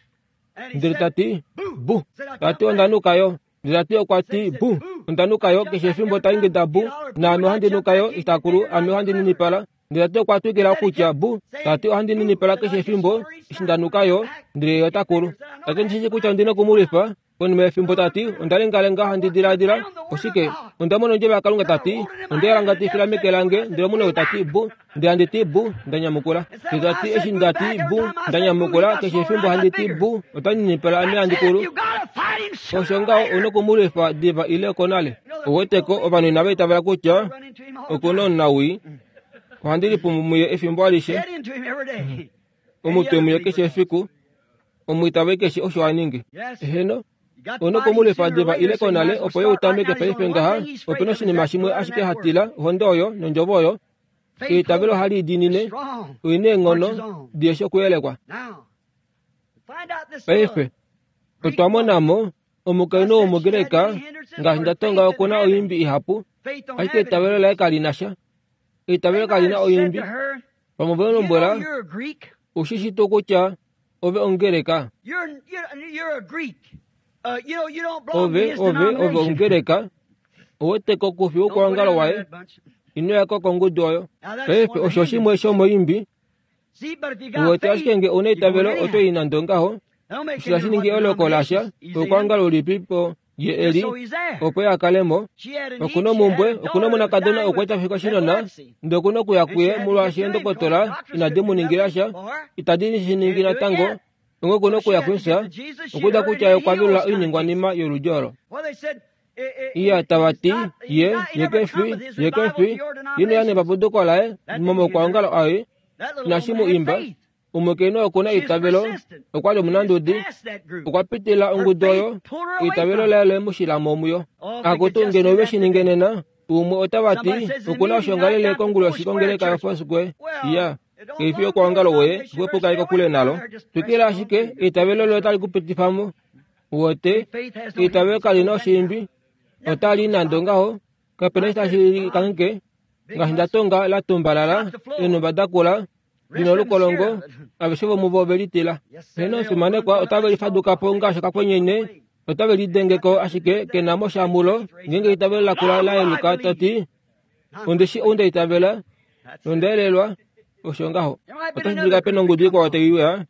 ndele tati bu, tati onda nuka yo, ndele tati okwa ti bu, onda nuka yo keshe efimbo ta ingida bu, naame ohandi nuka yo itakulu, ame ohandi ninipala. Ndele tati okwa twikila okutya bu, tati ohandi ninipala keshe efimbo eshi nda nuka yo, ndele ye otakulu. Tati ondishi kutya ondina okumulwifa. Konima yefimbo tati onda lengalenga handi diladila oshike, onda mona ondjovo yaKalunga tati onde yalangatifila meke lange, ndele omunhu tati bu, ndele handi ti bu, nda nyamukula. Ndele tati eshi ndati bu, nda nyamukula keshe efimbo handi ti bu, ota ninipala ame handi kulu. Osho ngaho ouna okumulwifa diva ile okonale. Ouweteko ovanhu inava itavela kutya okuna omunawii. Ohandi lipumu muye efimbo alishe, omutwe muye keshe efiku, omwiitave keshe osho a ningi. Eheno, ouna okumulwifa diva ile konale opo ye utameke paife ngaha. Opena oshinima shimwe ashike hatila, ohonde oyo nondjovo oyo. Eitavelo ohali idiinine, oina eenghono diheshi okuyelekwa. Paife otwa monamo omukainhu wOmugreka, ngaashi nda tonga okuna oimbi ihapu, ashike eitavelo laye kali na sha. Eitavelo kali na oimbi. Pamwe ve lombwela, ushishi tuu kutya ove Omugreka? Ove, ove, ove Omugreka. Ouweteko kufi woukwangalo waye. Ino yako kongudu oyo. Paife osho shimwe shomoimbi. Uwete ashike nge ouna eitavelo oto i nande ongaho. Osho tashi ningi eloko lasha, oukwangalo ulipipo ye eli, opo ye akale mo. Okuna omumbwe, okuna omonakadona okwa fika oshinona, ndele okuna okuya kuye molwaashi eendokotola inadi mu ningila sha, itadi shi ningi natango, onge okuna okuya kusa, okuuda kutya ye okwa velula oiningwanima yoludi olo. Iya tava ti, ye, ye kefi, ye kefi, ino ya nepapuduko laye, momokwaongalo aye, inashi mu imba. Omukainhu okuna eitavelo, okwa li omunandudi, okwa pitila ongudu oyo, eitavelo laye le mu shila mo muyo. Akutu ngeno ove shi ninge nena, umwe otava ti, okuna oshongalele konguloshi kongeleka yoFoursquare. Iya, keifi yokwaongalo woye, xwepo kokule nalo. Twikila ashike, eitavelo loye otali ku pitifa mo. Uwete, eitavelo kali na oshiimbi, otali nande ongaho, kapena eshi tashi kangheke, ngaashi nda tonga la tumbalala, eenhumba dakula, lina olukolongo, aveshe vomuvo ove litila. Heno omufimanekwa otave lifaduka po ngaashi okakwenyenye, otave lidengeko ashike kena mo sha mulo. Ngeenge eitavelo lakula la yeluka toti, ondishi ou nda itavela, nonda elelwa, osho ngaho. Otashi dulika pena ongudu ikwao tai uya,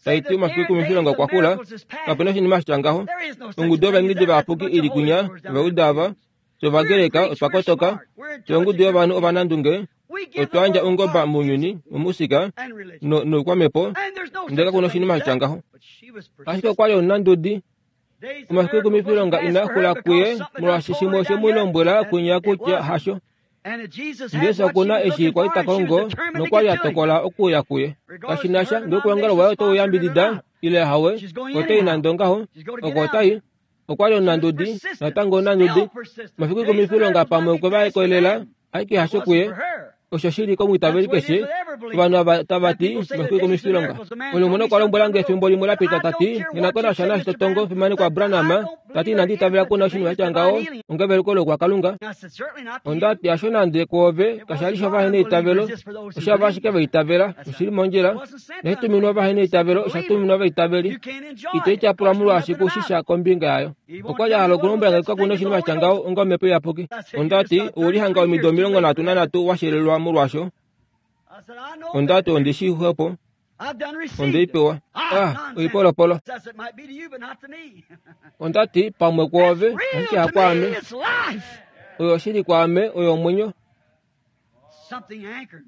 tai ti omafiku ekumifilonga okwa kula, kapena oshinima shitya ngaho. Ongudu yovaingidi vayapuki ili kunya, ovauda ava, Ovagreka otwa kotoka, ongudu yovanhu ovanandunge, otwa yandja ongoba mounyuni, momusika, noukwamepo, ndele kakuna oshinima shitya ngaho. Ashike okwa li omunandudi. Omafiku ekumifilonga inaa xula kuye molwaashi shimwe oshe mu lombwela kunya kutya hasho. Jesus okuna eshi kwali ta kongo nokwa li a tokola okuya kuye. Kashi na sha ngee oukwangalo waye otau yambidida ile hawe, otai nande ongaho, oko otai. Okwa li omunandudi, natango omunandudi. Omafiku ekumifilonga pamwe okwe va kolela, ashike hasho kuye. Osho shili komwiitaveli keshe. Ovanhu ava tava ti omafiku ekumifilonga. Omunhu okwa lombwela nge efimbo limwe la pita tati, nghi na ko nasha naashi to tongo fimanekwa Branham, Tati inandi itavela kuna oshinima sha tya ngaho ongeveluko lokwakalunga. Ondati asho nande kwoove kashali shovahena eitavelo, oshava ashike vaitavela, oshili mondjila. Nashituminwa vahena eitavelo, oshatuminwa vaitaveli. Ito ityapula molwaashi kushisha kombinga yayo. Okwali a hala okulombwela nge kakuna oshinima sha tya ngaho onga omhepo iyapuki. Ondati oulihanga omido omilongo nhatu nanhatu washelelwa molwaasho. Ondati ondishi xwepo. Ondeipewa. Ah, oipolopolo. Ondati pamwe kwoove, ashike hakwaame. Oyo oshili kwaame, oyo omwenyo.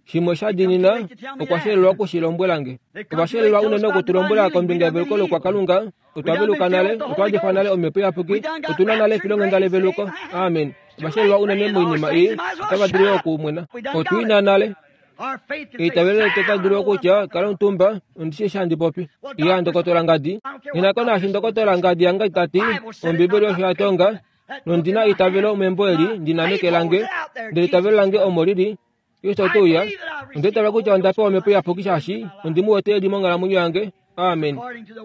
Shimwe sha diinina okwa shelelwa okushilombwela nge. Ova shelelwa unene okutulombwela kombinga yeveluko lokwakalunga. Otwa veluka nale, otwa difa nale omhepo iyapuki, otuna nale efilonghenda leveluko. Amen. Ova shelelwa unene moinima ei, otava dulu okumwena. Otwiina nale. Eitavelo letu otali dulu okutya kala omutumba, ondishi eshi handi popi. Iya ndokotola ngadi. Nghi ko naashi ndokotola ngadi yange tati, Ombibeli osho ya tonga, nondina eitavelo membo eli ndina meke lange, ndele eitavelo lange omo lili. Kristo ote uya. Onda itavela kutya onda pewa omhepo iyapuki shaashi ondi mu wete eli monghalamwenyo yange. Amen.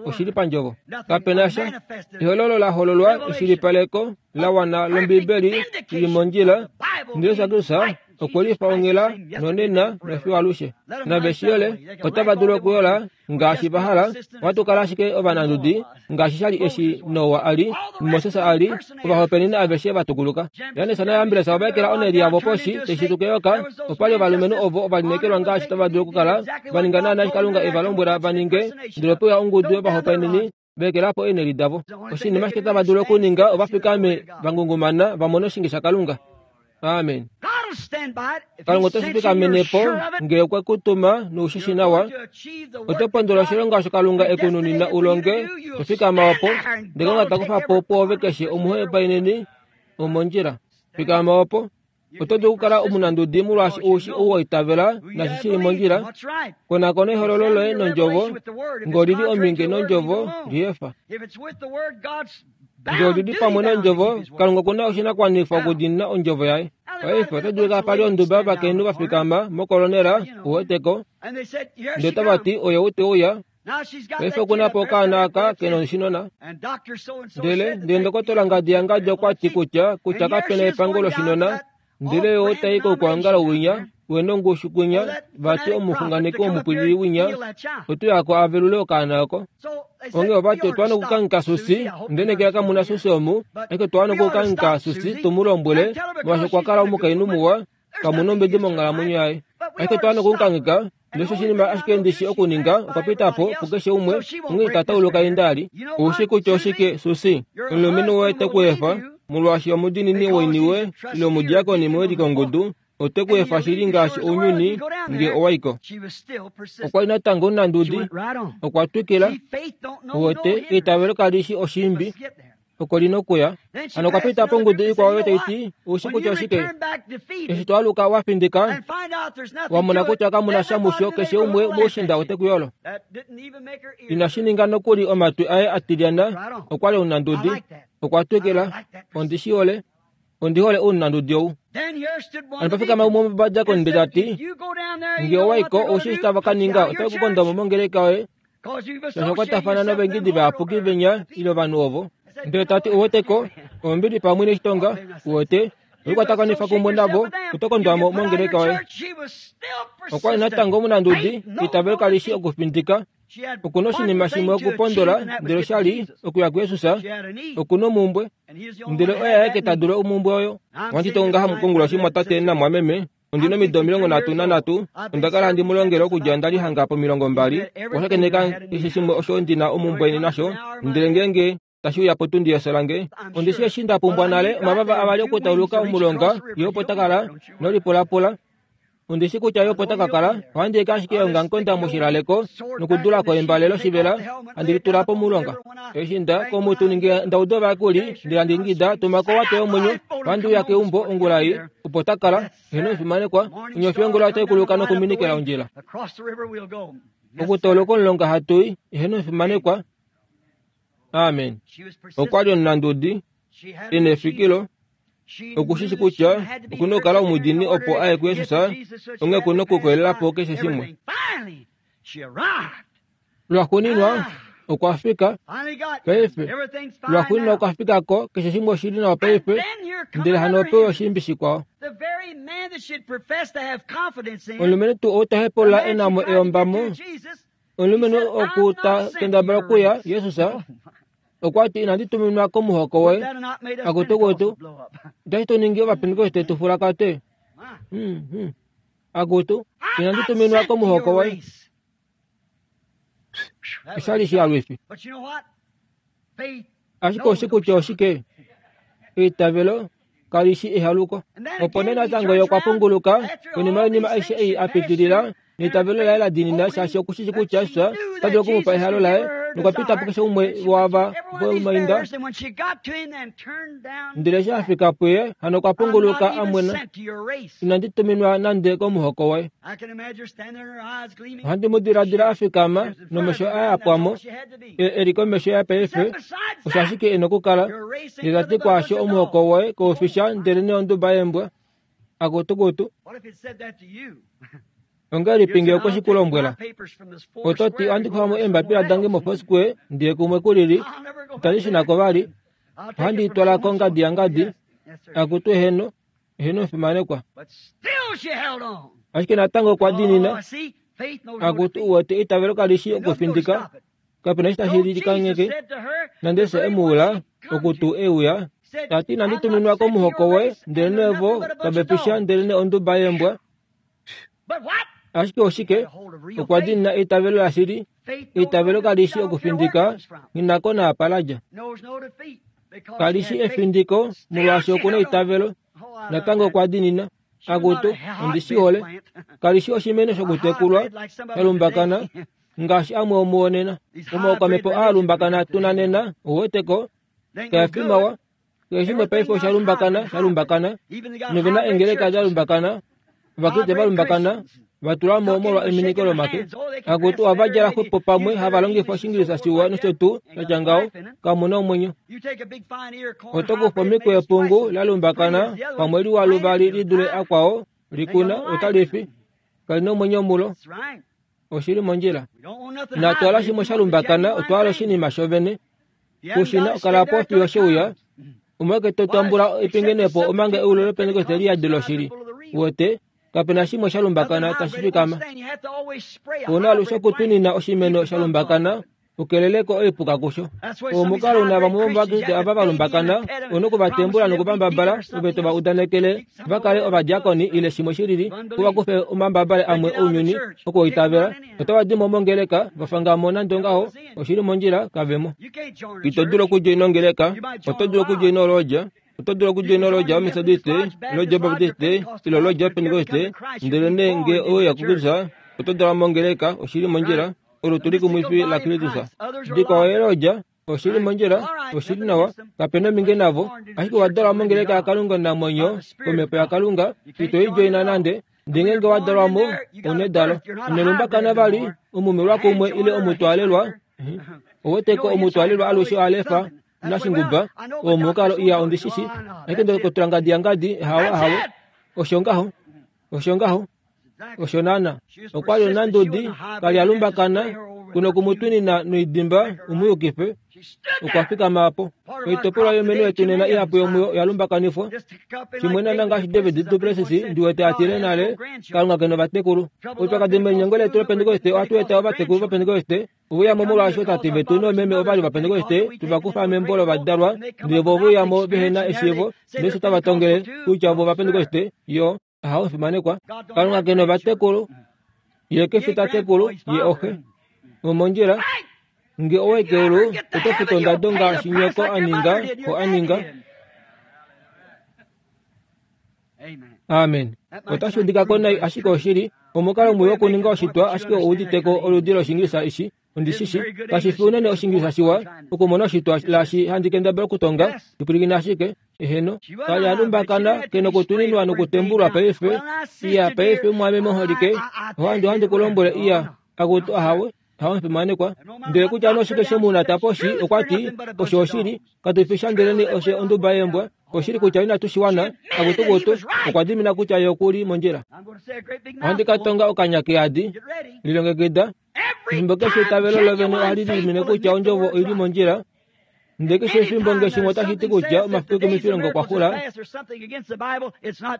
Oshili pandjovo. Kapena sha. Ehololo la hololwa eshilipaleko la wana lOmbibeli lili mondjila, ndele Jesus Kristus okwe lifa onghela nonena nofiyo alushe. Naveshiyole otava dulu okuyola ngaashi va hala, ohatu kala ashike ovanandudi ngaashi sha li eshi Noa a li, Moses a li, ovahopaeneni aveshe va tukuluka. Jannes naJambres ova ekela oneli yavo poshi taishituka eyoka. Opa li ovalumenhu ovo ovalineekelwa ngaashi tava dulu okukala, va ninga naana eshi Kalunga e va lombwela va ninge, ndele ope uya ongudu yovahopaeneni va ekela po eeneli davo. Oshinima ashike tava dulu okuninga ova fikame va ngungumana va mone oshinge shaKalunga. Amen. Kalunga ote shi fikamene po ngee okwe ku tuma noushishi nawa. Oto pondola oshilonga osho Kalunga e ku nunina u longe, to fikama opo, ndele Kalunga ta kufa po pwoove keshe omuhopaeneni womondjila. Fikama opo. Oto dulu okukala omunandudi molwaashi oushi ou wa itavela nashi shili mondjila. Konakona ehololo loye nondjovo, ngee olili ominge nondjovo, liefa. Ngee olili pamwe nondjovo, Kalunga okuna oshinakuwanifwa okudiinina ondjovo yaye. Paife oto dulu pa li onduba yovakainhu va fikama mokolonela, uweteko, ndele otava ti oye ou te uya. Paife okuna po okaana aka ke na oshinona. Ndele ndele ndokotola ngadi yangadi okwa ti kutya kutya kapena epango loshinona, ndele ye otai koukwaongalo winya, wena ongushu kwinya, vati omuxunganeki womupwilili winya, ote uya ko a velule okaana oko. Onghee ovati otwa wana okukangheka Susi, ndele ngee kamuna Susi omu, ashike otwa wana okukangheka Susi tu mu lombwele, molwaashi okwa kala omukainhu muwa, kamuna ombedi monghalamwenyo yaye. Ashike otwa wana okumukangheka, ndele osho oshinima ashike ndishi okuninga, okwa pita po pukeshe umwe, onghee ita tauluka einda ali. Oushi kutya oshike, Susi? Omulumenhu woye te ku efa, molwaashi omudiinini woiniwe ile omudiakoni mewilikongudu, ote ku efa shili ngaashi ounyuni ngee owa iko. Okwa li natango omunandudi, okwa twikila, uwete, eitavelo kali shi oshiimbi, oko lina okuya. Hano okwa pita pongudu ikwao oyo tai ti, oushi kutya oshike? Eshi to aluka wa findika, wa mona kutya kamuna sha musho, keshe umwe moushinda ote ku yolo. Inashi ninga nokuli omatwi aye a tilyana, okwa li omunandudi, okwa twikila, ondi shi hole, ondi hole ounandudi ou. Hano pa fikama umwe womovadiakoni ndele ta ti, ngee owa iko, oushi eshi tava ka ninga, otave ku konda mo mongeleka yoye, shaashi okwatafana novaingidi vayapuki venya ile ovanhu ovo. Ndele ta ti, uweteko, ombili pamwe neshitonga, uwete, oikwatakanifa kumwe navo, oto kondwa mo mongeleka yoye. Okwa li natango omunandudi, eitavelo kali shi okufindika. Okuna oshinima shimwe okupondola, ndele osha li okuya kuJesus, okuna omumbwe, ndele oye aeke ta dulu omumbwe oyo. Ohandi tongo ngaha konguloshi mwatate namwameme, ondina omido omilongo nhatu nanhatu, onda kala handi mu longele okudja nda li hanga pomilongo mbali, okwa shakeneka keshe shimwe osho ndina omumbwe nasho, ndele ngeenge tashi uya potundi yefyo lange, ondishi eshi nda pumbwa nale omavava avali okutauluka omulonga, ye opo ta kala, nolipulapula. Ondishi kutya ye opo ta ka kala, ohandi eke ashike eongamukonda moshilaleko nokudulako embale loshivela, handi litula pomulonga. Eshi nda komutuni ngee nda uda ovayakuli, ndele handi ingida, tuma ko owato yomwenyo, ohandi uya keumbo ongula ei, opo ta kala, eheno omufimanekwa, onyofi yongula otai kuluka nokuminikila ondjila. Okutauluka omulonga hatu i, eheno omufimanekwa. Amen. Okwa li omunandudi, e na efikilo, okushishi kutya okuna okukala omudiinini opo aye kuJesus, onghee okuna okukoyelela po keshe shimwe. Lwaxuuninwa, Okwa fika paife lwaxuuninwa okwa fika ko keshe shimwe oshili nawa paife ndele hano opewa oshiimbi shikwao. Omulumenhu tuu ou ta hepaulula e na mo eyombamo, omulumenhu oku ta kendabala okuya Jesus okwa ti inandi tuminwa komuhoko woye. Akutu kutu, otashi tu ningi ovapentekoste tu fulakate. Akutu, inandi tuminwa komuhoko woye. Oshali shialwifi. Ashike oshi kutya oshike? Eitavelo kali shi ehaluko. Opo nee natango ye okwa punguluka konima yoinima aishe ei a pitilila neitavelo laye la diinina shaashi okushishi kutya Jesus ota dulu okumupa ehalo laye nokwa pita po keshe umwe waava vomainda. Ndele eshi a fika puye hano okwa punguluka a mwena. Inandi tuminwa nande komuhoko woye. Ohandi mu diladila a fikama nomesho aye a pwamo e li komesho yapaife osho ashike e na okukala. Ndele ta ti kwaasho omuhoko woye koufisha ndele neonduba yeembwa. Akutukutu. Ongahelipi ngee okwe shi ku lombwela? Oto ti ohandi kufa mo eembapila dange moFoursquare ndiye kumwe kulili, itandi shuna ko vali, ohandi i twala kongadi yangadi. Akutu eheno, eheno omufimanekwa. Ashike natango okwa diinina. Akutu uwete eitavelo kali shi okufindika, kapena eshi tashi likangheke. Nande se emuula oku tuu euya, ta ti inandi tuminwa komuhoko woye, ndele vo kave fi sha ndele onduba yeembwa. Ashike oshike? Okwa diinina eitavelo lashili. Eitavelo kali shi okufindika, nghinako naapa la dja. Kali shi efindiko molwaashi okuna eitavelo. Natango okwa diinina. Akutu, ondi shi hole. Kali shi oshimeno shokutekulwa sha lumbakana ngaashi amwe omuo nena. Omaukwamhepo aa lumbakana tuna nena, ouweteko, kaefi mawa. Keshe shimwe paife osha lumbakana, sha lumbakana. Novena eengeleka da lumbakana, Ovakriste va lumbakana, va tula mo molwa eminiko lomake. Akutu ohava djala xwepo pamwe hava longifa Oshiingilisa shiwa nosho tuu shatya ngaho, kamu na omwenyo. Oto kufa omikweyo epungu la lumbakana pamwe liwa luvali li dule akwao, likuna, otali fi. Kali na omwenyo mulo. Oshili mondjila. Inatu hala shimwe sha lumbakana, otwa hala oshinima shovene. Kushina okala po fiyo sheuya. Omwake to tambula epingenepo omanga eulo lopentekoste liyadi loshili. Uwete, kapena shimwe sha lumbakana tashi fikama. Ouna alushe okutunina oshimeno sha lumbakana ukeleleko oipuka kusho. Omukalo una vamwe vomovakriste ava va lumbakana ouna okuvatembula nokuvambabala ove to va udanekele va kale ovadiakoni ile shimwe shilili opo va kufe omambabale amwe ounyuni okuitavela. Otava di mo mongeleka va fangamo nande ongaho oshili mondjila kavemo. Ito dulu okudjoina ongeleka, oto dulu okudjoina olodja. Oto dulu okudjoina olodja yomethodiste, olodja yobaptiste ile olodja yopentekoste, ndele nee ngee oweuya kuKristus oto dalwa mongeleka oshili mondjila, olutu likumwifi laKristus. Dikwao yeelodja oshili mondjila, oshili nawa, kapena ominge navo, ashike owa dalwa mongeleka yaKalunga omunamwenyo komhepo yaKalunga, ito i djoina nande, ndele ngeenge wa dalwa mo, ouna edalo. Ino lumbakana vali, omumelwa kumwe ile omutwaalelwa. Ouweteko omutwaalelwa alushe oha lefa nashinguba, oo mukalo iya ondishishi, ashike ndokotola ngadi yangadi, hawe hawe, osho ngaho, osho ngaho, osho naana. Okwa li onandudi, kali a lumbakana, kuna okumutwinina noidimba umuyukife. Okwa fikama apo. Oitopolwa yomeno yetu nena ihapu yomuyo oya lumbakanifwa. Shimwe naana ngaashi David du Plessis ndiwete a tile nale, Kalunga kena ovatekulu. Oupyakadi melinyengo letu lopentekoste ohatu eta ovatekulu vopentekoste ove uyamo molwaashi ootate vetu noomeme ova li ovapentekoste tuva kufa membo lovadalwa ndele vo ove uyamo vehena eshiivo ndele osho tava tongele kutya vo ovapentekoste. Yo, ahawe omufimanekwa. Kalunga kena ovatekulu. Ye kefi tatekulu, ye oxe. Omondjila, nge owayi keulu, oto futu ondado ngaashi nyoko a ninga, xo a ninga. Amen. Otashi udika ko nai ashike oshili, omukalo mwii wokuninga oshitwa ashike ouuditeko oludi lOshiingilisa eshi, ondishishi, kashi fi unene Oshiingilisa shiwa, okumona oshitwa laashi handi kendabala okutonga, lipwilikina ashike, eheno. Kali a lumbakana, kena okutuninwa nokutembulwa paife, iya paife mwaame moholike, ohandi ohandi ku lombwele iya, akutu ahawe, ahawe omufimanekwa. Ndele kutya nee oshike shemuna taposhi, okwa ti, osho oshili, katu fi sha ndele nee oshe onduba yeembwa. Oshili kutya inatu shiwana akutukutu okwa dimina kutya ye okuli mondjila. Ohandi ka tonga okanya keyadi lilongekida. Efimbo keshe eitavelo lovene ohali dimine kutya ondjovo oili mondjila. Ndele keshe efimbo nge shimwe otashi ti kutya omafiku omifilongo okwa xula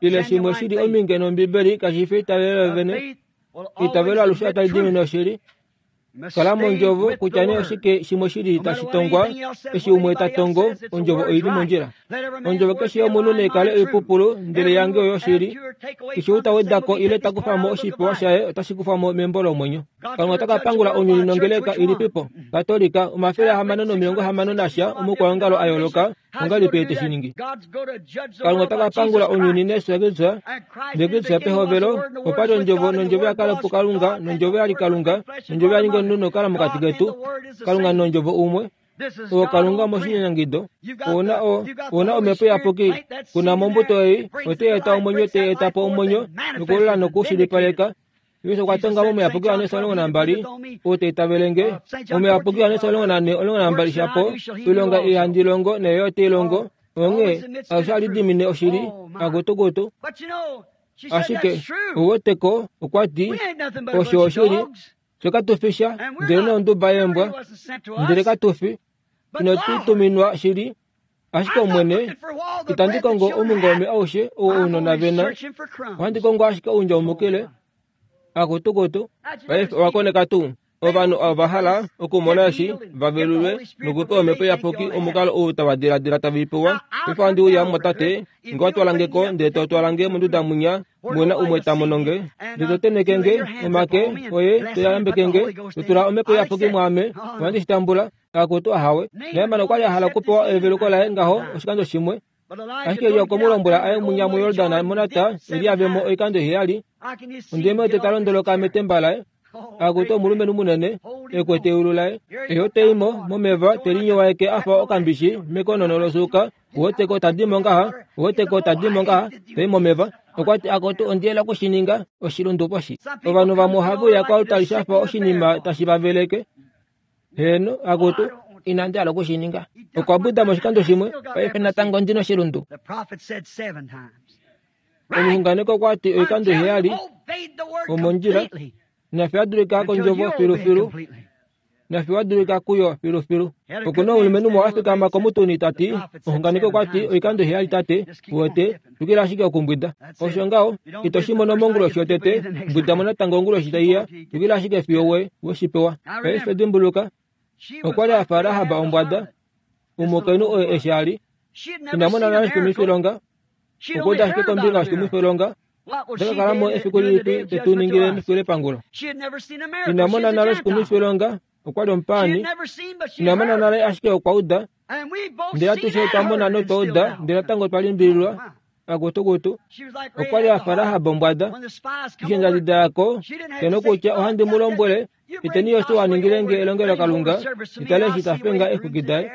ile shimwe shili ominge nombibeli kashi fi eitavelo lovene. Eitavelo alushe otali dimine oshili. Kala mondjovo kutya nee oshike shimwe shili tashi tongwa eshi umwe ta tongo ondjovo oili mondjila. Ondjovo keshe yomunhu naikale oipupulu ndele yange oyo oshili. Keshe ou ta wedako ile ta kufa mo oshipewa shaye otashi kufwa mo membo lomwenyo. Kalunga ota ka pangula ounyuni nongeleka ilipipo Katolika omafele ahamano nomilongo hamano nasha omukwaongalo a yooloka ongahelipi ye teshi ningi. Kalunga ota ka pangula ounyuni nesu ndele Kristus pehovelo opali ondjovo nondjovo ya kala puKalunga nondjovo ya li Kalunga nondjovo ya ninga omunhu nokukala mokati ketu. Kalunga nondjovo umwe. Owo Kalunga moshinyanyangido. Ouna o ouna omhepo iyapuki kuna mombuto ei otai eta omwenyo tai eta po omwenyo nokulola nokushilipaleka. Jesus okwa tonga momuyapuki Johannes omulongo nambali ou ta itavele nge omuyapuki Johannes omulongo nane omulongo nambali shapo oilonga ei handi longo nayo otai longo onghee alushe ohali dimine oshili akutukutu. Ashike ouweteko okwa ti osho oshili fye katufi sha ndele nonduba yeembwa ndele katufi inotu tuminwa shili. Ashike Omwene itandi kongo omungome aushe ou ounona vena ohandi kongo ashike oundjaumukile akutukutu. Paife owa koneka tuu ovanhu ova hala okumona eshi va velulwe nokupewa omhepo iyapuki omukalo ou tava diladila tava ipewa. Paife ohandi uya mumwatate nge wa twala nge ko ndele to twala nge monduda mwinya mwena umwe ta mono nge ndele to tenheke nge omake oye to yambeke nge to tula omhepo iyapuki mwaame ohandi shi tambula. Akutu ahawe. Naeman okwa li a hala okupewa eveluko laye ngaho oshikando shimwe. Ashike Elia okwe mu lombwela aye mwinya muYordan monata Elia avemo oikando heyali. Ondeme ote ta londoloka metemba laye. Akutu omulumenhu munene ekwete eulu laye. Eyo teimo momeva telinyowaeke afa okambishi mekonono losuuka. Uweteko tadimo ngaha, uweteko tadimo ngaha, tai momeva. Okwa ti akutu ondiyela okushininga oshilundu poshi. Ovanhu vamwe ohave uya koaltari shafa oshinima tashi va veleke. Heeno, akutu inandi hala okushininga. Okwa buda moshikando shimwe, paife natango ndi noshilundu. Omuxunganeki okwa ti oikando heyali omondjila nafye adulika kondjovo filufilu nafye wadulika kuyo filufilu. Okuna omulumenhu muwa a fikama komutuni ta ti omuxunganeki okwa ti oikando heyali tate uwete twikila ashike okumbwida. Osho ngaho ito shi mono monguloshi yotete mbwida mo natango onguloshi taiya twikila ashike fiyo we weshipewa. Paife dimbuluka okwa li a fa Rahab ombwada omukainhu oye eshi a li ina mona nale oshikumwifilonga okwa uda ashike kombinga yoshikumwifilonga. Ota ka kala mo efiku lilipi tetu ningile mefiku lepangulo. Ina mona nale oshikumwifilonga okwa li omupaani ina mona nale ashike okwa uda ndele atushe otwa mona notwa uda ndele natango otwa limbililwa akutukutu. Okwa li a fa Rahab ombwada eshi eendjadi dayako kenokutya ohandi mu lombwele iteni Josua a ningile nge elongelokalunga itale eshi ta fenga eexwiki daye.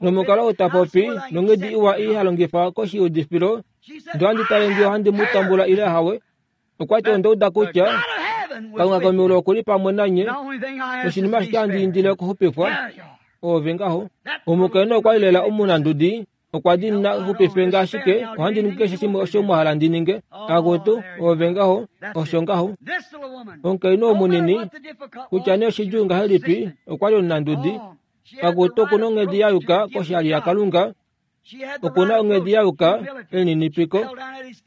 Nomukalo ou ta popi nonghedi iwa ii ha longifa koshiudifilo ndee ohandi tale nge ohandi mu tambula ile ahawe. Okwa ti onda uda kutya Kalunga komeulu okuli pamwe nanye oshinima ashike handi indile okuxupifwa oove ngaho. Omukainhu okwa li lela omunandudi okwa di na xupife nge ashike ohandi ningi keshe shimwe osho mwa hala ndi ninge. Akutu oove ngaho osho ngaho. Omukainhu omunini kutya nee oshidjuu ngahelipi okwa li omunandudi. Akutu okuna onghedi ya yuka koshali yaKalunga okuna onghedi ya yuka elininipiko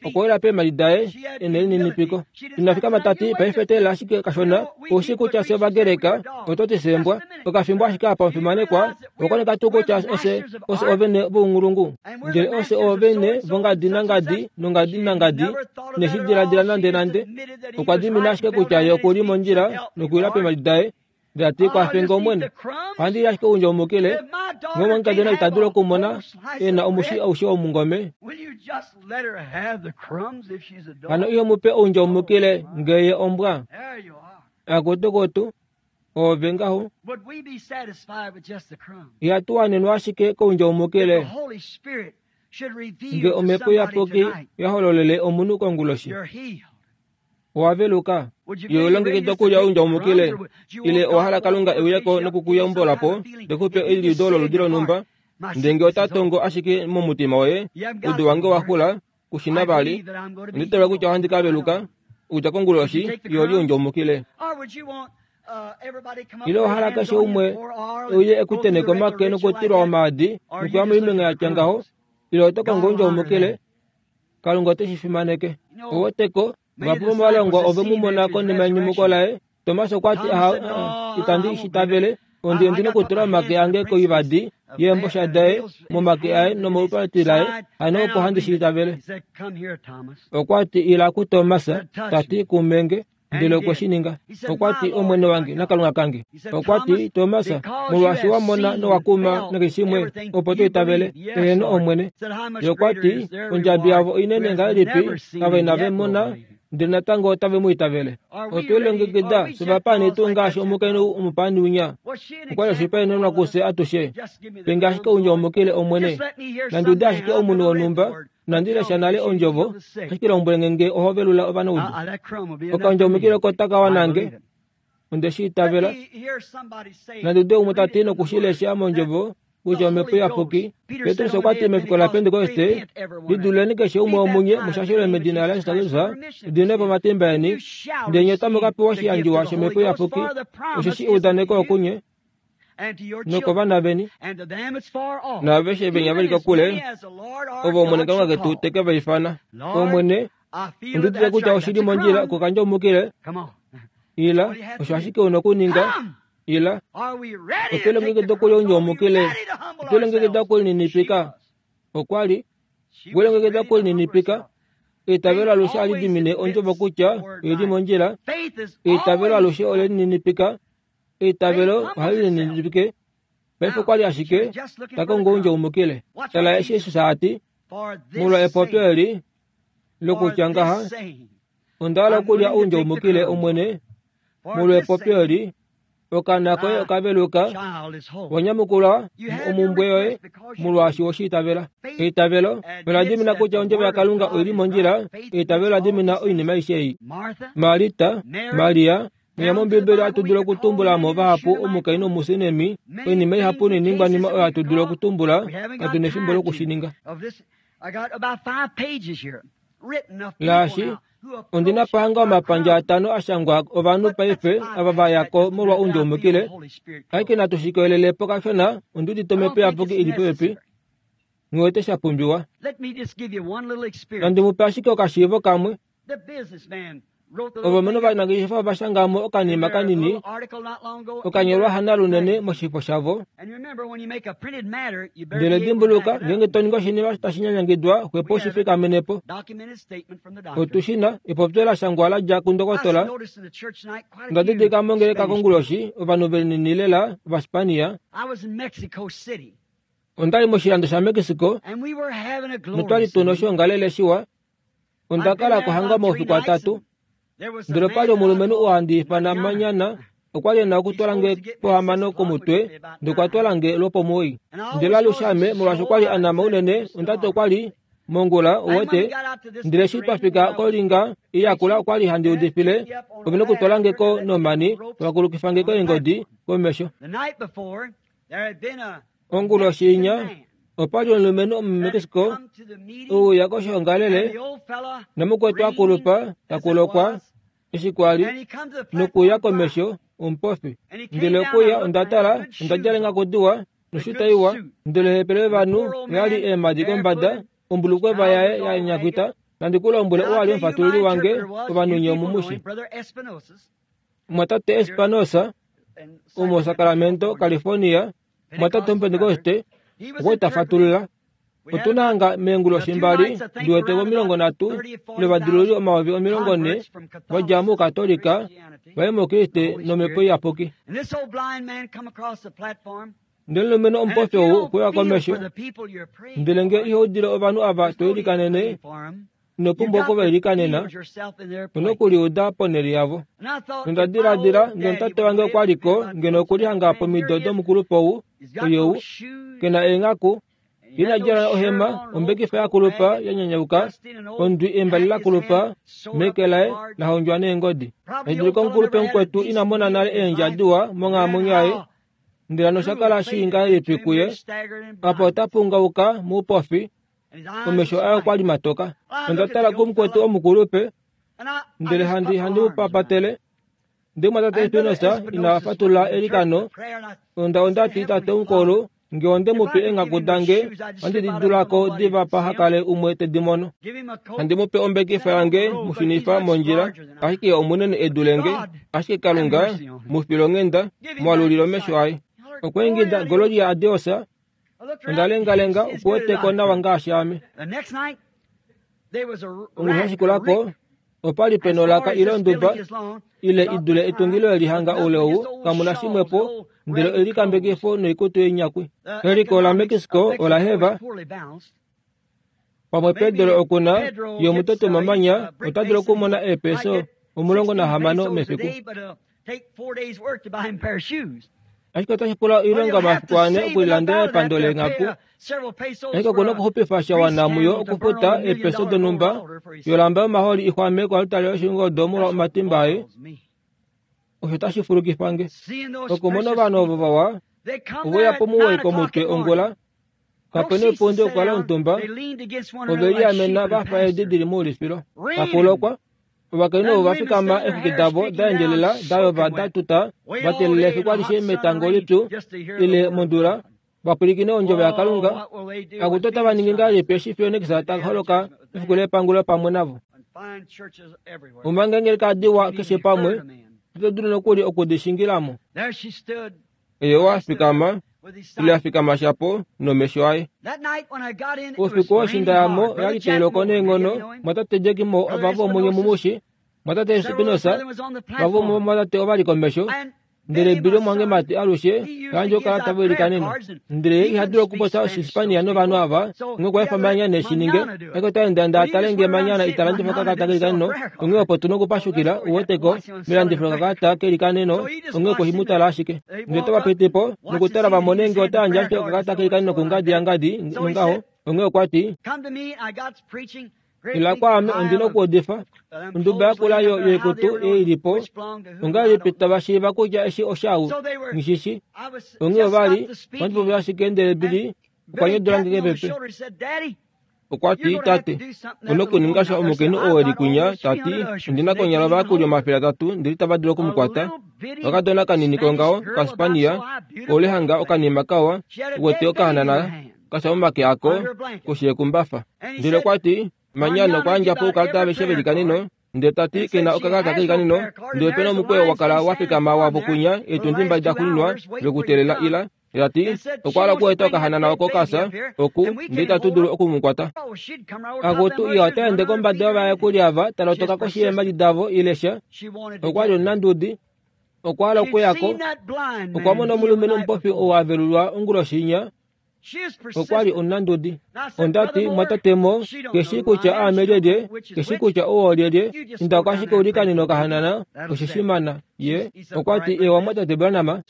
okwa wila peemhadi daye ena elininipiko. Ina fikama tati paife teelela ashike kashona oushi kutya fye Ovagreka oto ti sembwa okafimbo ashike apa omufimanekwa owakoneka tuu kutya ose ose ovene vounghulungu ndele ose ovene vongadi nangadi nongadi nangadi ineshi diladila nande nande. Okwa dimina ashike kutya ye okuli mondjila nokuwila peemhadi daye ndele ati kwafe nge Omwene ohandi li ashike oundjaumukile nge omukadona ita dulu okumona e na omushi aushe womungome. Hano iho mupe oundjaumukile nge ye ombwa. Akutukutu oove ngaho. Ihatu wanenwa ashike koundjaumukile nge omhepo iyapuki ya hololele omunhu konguloshi. Owa veluka ye ulongekida okulya oundjaumukile ile owa hala Kalunga e uye ko nokukuyambula po tekupe eliudo loludi lonhumba Ndenge ota tongo ashike momutima woye, udu wange wa xula, kushina vali. Onditala kutya ohandi ka veluka, okudja konguloshi, yoli ondjoumukile. Ile ohala keshe umwe uye ekuteneka omake nokutilwa omaadi nokuya moimenga yatya ngaho, ile oto kongo ondjoumukile, Kalunga ote shi fimaneke. Oweteko, vahapu vomovalongwa ove mu mona konima yenyumuko laye. Tomas okwa ti, aha, itandi shi tavele, ondi ondina okutula omake ange koivadi yeembosha daye momake aye nomoupati laye, hano opo handi shi tavele. Okwa ti, ila kuTomas, ta ti kumenge, ndele okwe shi ninga. Okwa ti, Omwene wange naKalunga kange. Okwa ti, Tomas, molwaashi wa mona nowa kuma nakeshe shimwe, opo to itavele, eheno Omwene. Ye okwa ti, ondjabi yavo inene ngahelipi, ava inave mona, ndele natango otave mu itavele. Otwe lilongekida sovapani tuu ngaashi omukainhu omupani winya. Okwa li oshihopaenenwa kufye atushe. Penge ashike oundjaumukile Omwene. Nandi ude ashike omunhu wonhumba, nandi lesha nale ondjovo, ashike lombwele nge oho velula ovanaudu. Okandjaumukile oko taka wanange, onde shi itavela. Nandi ude umwe ta ti nokushilesha mondjovo kutya Omhepo Iyapuki. Petrus okwa ti mefiku laPentekoste, liduleni keshe umwe womunye mushashelwe medina laJesus Kristus, udinwe po omatimba eni, ndele nye otamu ka pewa oshiyandjiwa shOmhepo Iyapuki, osheshi eudaneko okunye nokovana veni, naaveshe venya veli kokule, ovo Omwene Kalunga ketu te ke va ifana. Omwene, ondi udite kutya oshili mondjila okukandjaumukile. Ila, osho ashike u na okuninga. Ila, otwe lilongekida okulya oundjaumukile, otwe lilongekida okulininipika. Okwa li we lilongekida okulininipika. Eitavelo alushe ohali dimine ondjovo kutya oili mondjila. Eitavelo alushe ole lininipika. Eitavelo ohali lininipike. Paife okwa li ashike ta kongo oundjaumukile. Tala eshi Jesus a ti, molwa epopyo eli lokutya ngaha, onda hala okulya oundjaumukile Omwene, molwa epopyo eli, okaana koye okaveluka, wanyamukula omumbwe yoye molwaashi we shi itavela. Eitavelo ola dimina kutya ondjovo yaKalunga oili mondjila. Eitavelo ola dimina oinima aishe ei. Marita, Maria, mwiya mOmbibeli ohatu dulu okutumbula mo vahapu omukainhu omusunemi, oinima ihapu noiningwanima oyo hatu dulu okutumbula, katu nefimbo lokushininga. Laashi, ondi na pahanga omapandja atano a shangwa ovanhu paife ava va ya ko molwa oundjaumukile. Ashike natu shi kelele po kashona, ondi udite Omhepo Iyapuki ili popepi, nghiwete sha pumbiwa. Nandi mu pe ashike okashiivo kamwe. Ovalumenhu ovanangeshefa ova shanga mo okanima kanini okanyolwa hanalunene moshifo shavo. Ndele dimbuluka, ngeenge to ningi oshinima tashi nyanyangidwa, xwepo ushi fikamene po. Otu shi na epopyo la shangwa la dja kundokotola. Onda didilika mongeleka konguloshi ovanhu velinini lela Ovaspania. Onda li moshilando shaMexico notwa li tuna oshoongalele shiwa. Onda kala kohanga omaufiku atatu. Ndele opa li omulumenhu oo handi ifana Manyana, okwa li e na okutwala nge pohamano komutwe, ndele okwa twala nge lwopomuwoi. Ndele alushe ame, molwaashi okwa li a nama unene, onda ti okwa li mongula, uwete. Ndele eshi twa fika kolinga iyakula okwa li handi udifile, ove nokutwala nge ko nomani, vakulukifa nge keengodi komesho. Onguloshi inya, opa li omulumenhu omuMexico ouya koshoongalele, namukwetu akulupa takulokwa eshi kwa li nokuya komesho omupofi. Ndele okuya onda tala, onda djala engakudiwa noshuta iwa, ndele hepele ovanhu oya li eemhadi kombada, ombulukweva yaye ya nyakwita. Nandi ku lombwele oo a li omufatululi wange, ovanhu nye omumushi. Mwatate Espinosa omoSacramento, California, mwatate omupentekoste, okwa ta fatulula. Otu na hanga meenguloshi mbali, ndi wete omilongo nhatu ile ovadululi omayovi omilongo nhe va dja mOukatolika va ye mOukriste nOmhepo Iyapuki. Ndele omulumenhu omupofi ou okwe uya komesho, ndele nge iho udile ovanhu ava to ilikanene, ino pumbwa oku va ilikanena, u na okuliuda ponhele yavo. Nonda diladila, ngeno tate wange okwa li ko, ngeno okuli hanga pomido domukulupe ou, oyou, ke na eenghaku, ina djala ohema, ombekifa yakulupa ya nyanyauka, ondwi embale lakulupa meke laye la hondjwa neengodi. Edidilika omukulupe mukwetu ina mona nale eendja diwa monghalamwenyo yaye, Ndele hano oshakala shii ngahelipi kuye? Apa ota pungauka muupofi, omesho aye okwa li matoka. Onda tala kumukwetu omukulupe, ndele handi handi mu papatele. Ndele mwatate Espinosa ina fatula elikano. Onda ondati tate omukulu, nge onde mu pe eenghaku dange, ohandi di dulako diva pahakale umwe te di mono. Handi mu pe ombekifa yange mushunifa mondjila, ashike omunene edu lenge, ashike Kalunga mu filonghenda, mwalulila omesho aye. Okwa ingida Gloria a Deus, onda lengalenga okuweteko nawa ngaashi ame. Onguloshi yashikulako, opa li pena olaka ile onduba ile idule etungilo elihanga oule ou kamuna shimwepo ndele olikambekifo noikutu yenyakwi. Eliko la Mexico ola heva pamwe Pedro okuna yomutoto mamanya ota dulu okumona eepeso omulongo nahamano mefiku. Ashike otashi pula oilonga omafiku ane okulilandela epando leenghaku. Ashike okuna okuxupifa sha wana muyo okufuta eepeso donhumba yolamba yomahooli ixwame koaltari yoshingoldo molwa omatimba aye. Osho otashi fulukifa nge. Okumona ovanhu ovo vawa ove uya pomuwoi komutwe ongula, kapena oipundi okukala omutumba, ove liamena vafa eedi dili moulifilo. Pakulokwa, ovakainhu ovo va fikama eexwiki davo da endjelela da yova da tuta va teelela efiku alishe metango lipyu ile mondula vapwilikine ondjovo yaKalunga. Akutu otava ningi ngahelipi eshi Phoenix ta holoka mefiku lepangulo pamwe navo? Omanga eengeleka diwa keshe pamwe, ito dulu nokuli okudishingilamo. Eye owa fikama ile a fikama shapo nomesho aye. Oufiku woshinda yamo oyali tailoko neenghono, mwatate Jack Moore ovava omunye mumushi, mwatate Espinosa vava mwatate ovali komesho, ndele Billy omwangemati alushe yandje okukala tava ilikanene. Ndele ye iha dulu okupopya Oshispania novanhu ava, onghee okwa efa Manyana eshi ninge, ashike ota endaenda a tale ngee Manyana ita landifa okakalata kelikaneno, onghee opo tuna okupashukila uweteko melandifo lokakalata kelikaneno, onghee okwe mu tala ashike. Ndele otava piti po nokutala va mone ngee ota yandje ashike okakalata kelikaneno kungadi yangadi nongaho, onghee okwa ti, ila kwaame ondina okuudifa. Onduba yakula yoikutu ei ilipo, ongahelipi tava shiiva kutya eshi oshau? Nghishishi. Onghee ovali, ohandi popi ashike ndele Billy okwa nyodula nge kepepe. Okwa ti, tate, una okuninga sha omukainhu oo eli kwinya, tati, ondina konyala ovayakuli omafele atatu ndele itava dulu okumukwata. Okakadona kanini kongaho, Okaspania, koulehanga okanima kawa, uwete okahanana kasha momake ako, koshi yekumbafa. Ndele okwa ti, Manyana okwa yandja po oukalata aveshe velikaneno, ndele tati kena okakalata kelikaneno, ndele opena omukweyo wakala wa fikama wavo kwinya eetundi mbali da xuuninwa lokuteelela ila. Tati okwa hala okueta okahanana oko kasa oku ndele itatu dulu okumukwata. Akutu iha ota ende kombada yovayakuli ava talotoka koshi yeemhadi davo ile sha. Okwa li omunandudi, okwa hala okuyako. Okwa mona omulumenhu omupofi ou a velulwa onguloshi inya. Okwa li omunandudi. Onda ti, mwatate Mo, keshi kutya aame lyelye, keshi kutya ou olyelye, inda ko ashike ulikanene okahanana, oshe shimana. Ye okwa ti, ewa mwatate Branham.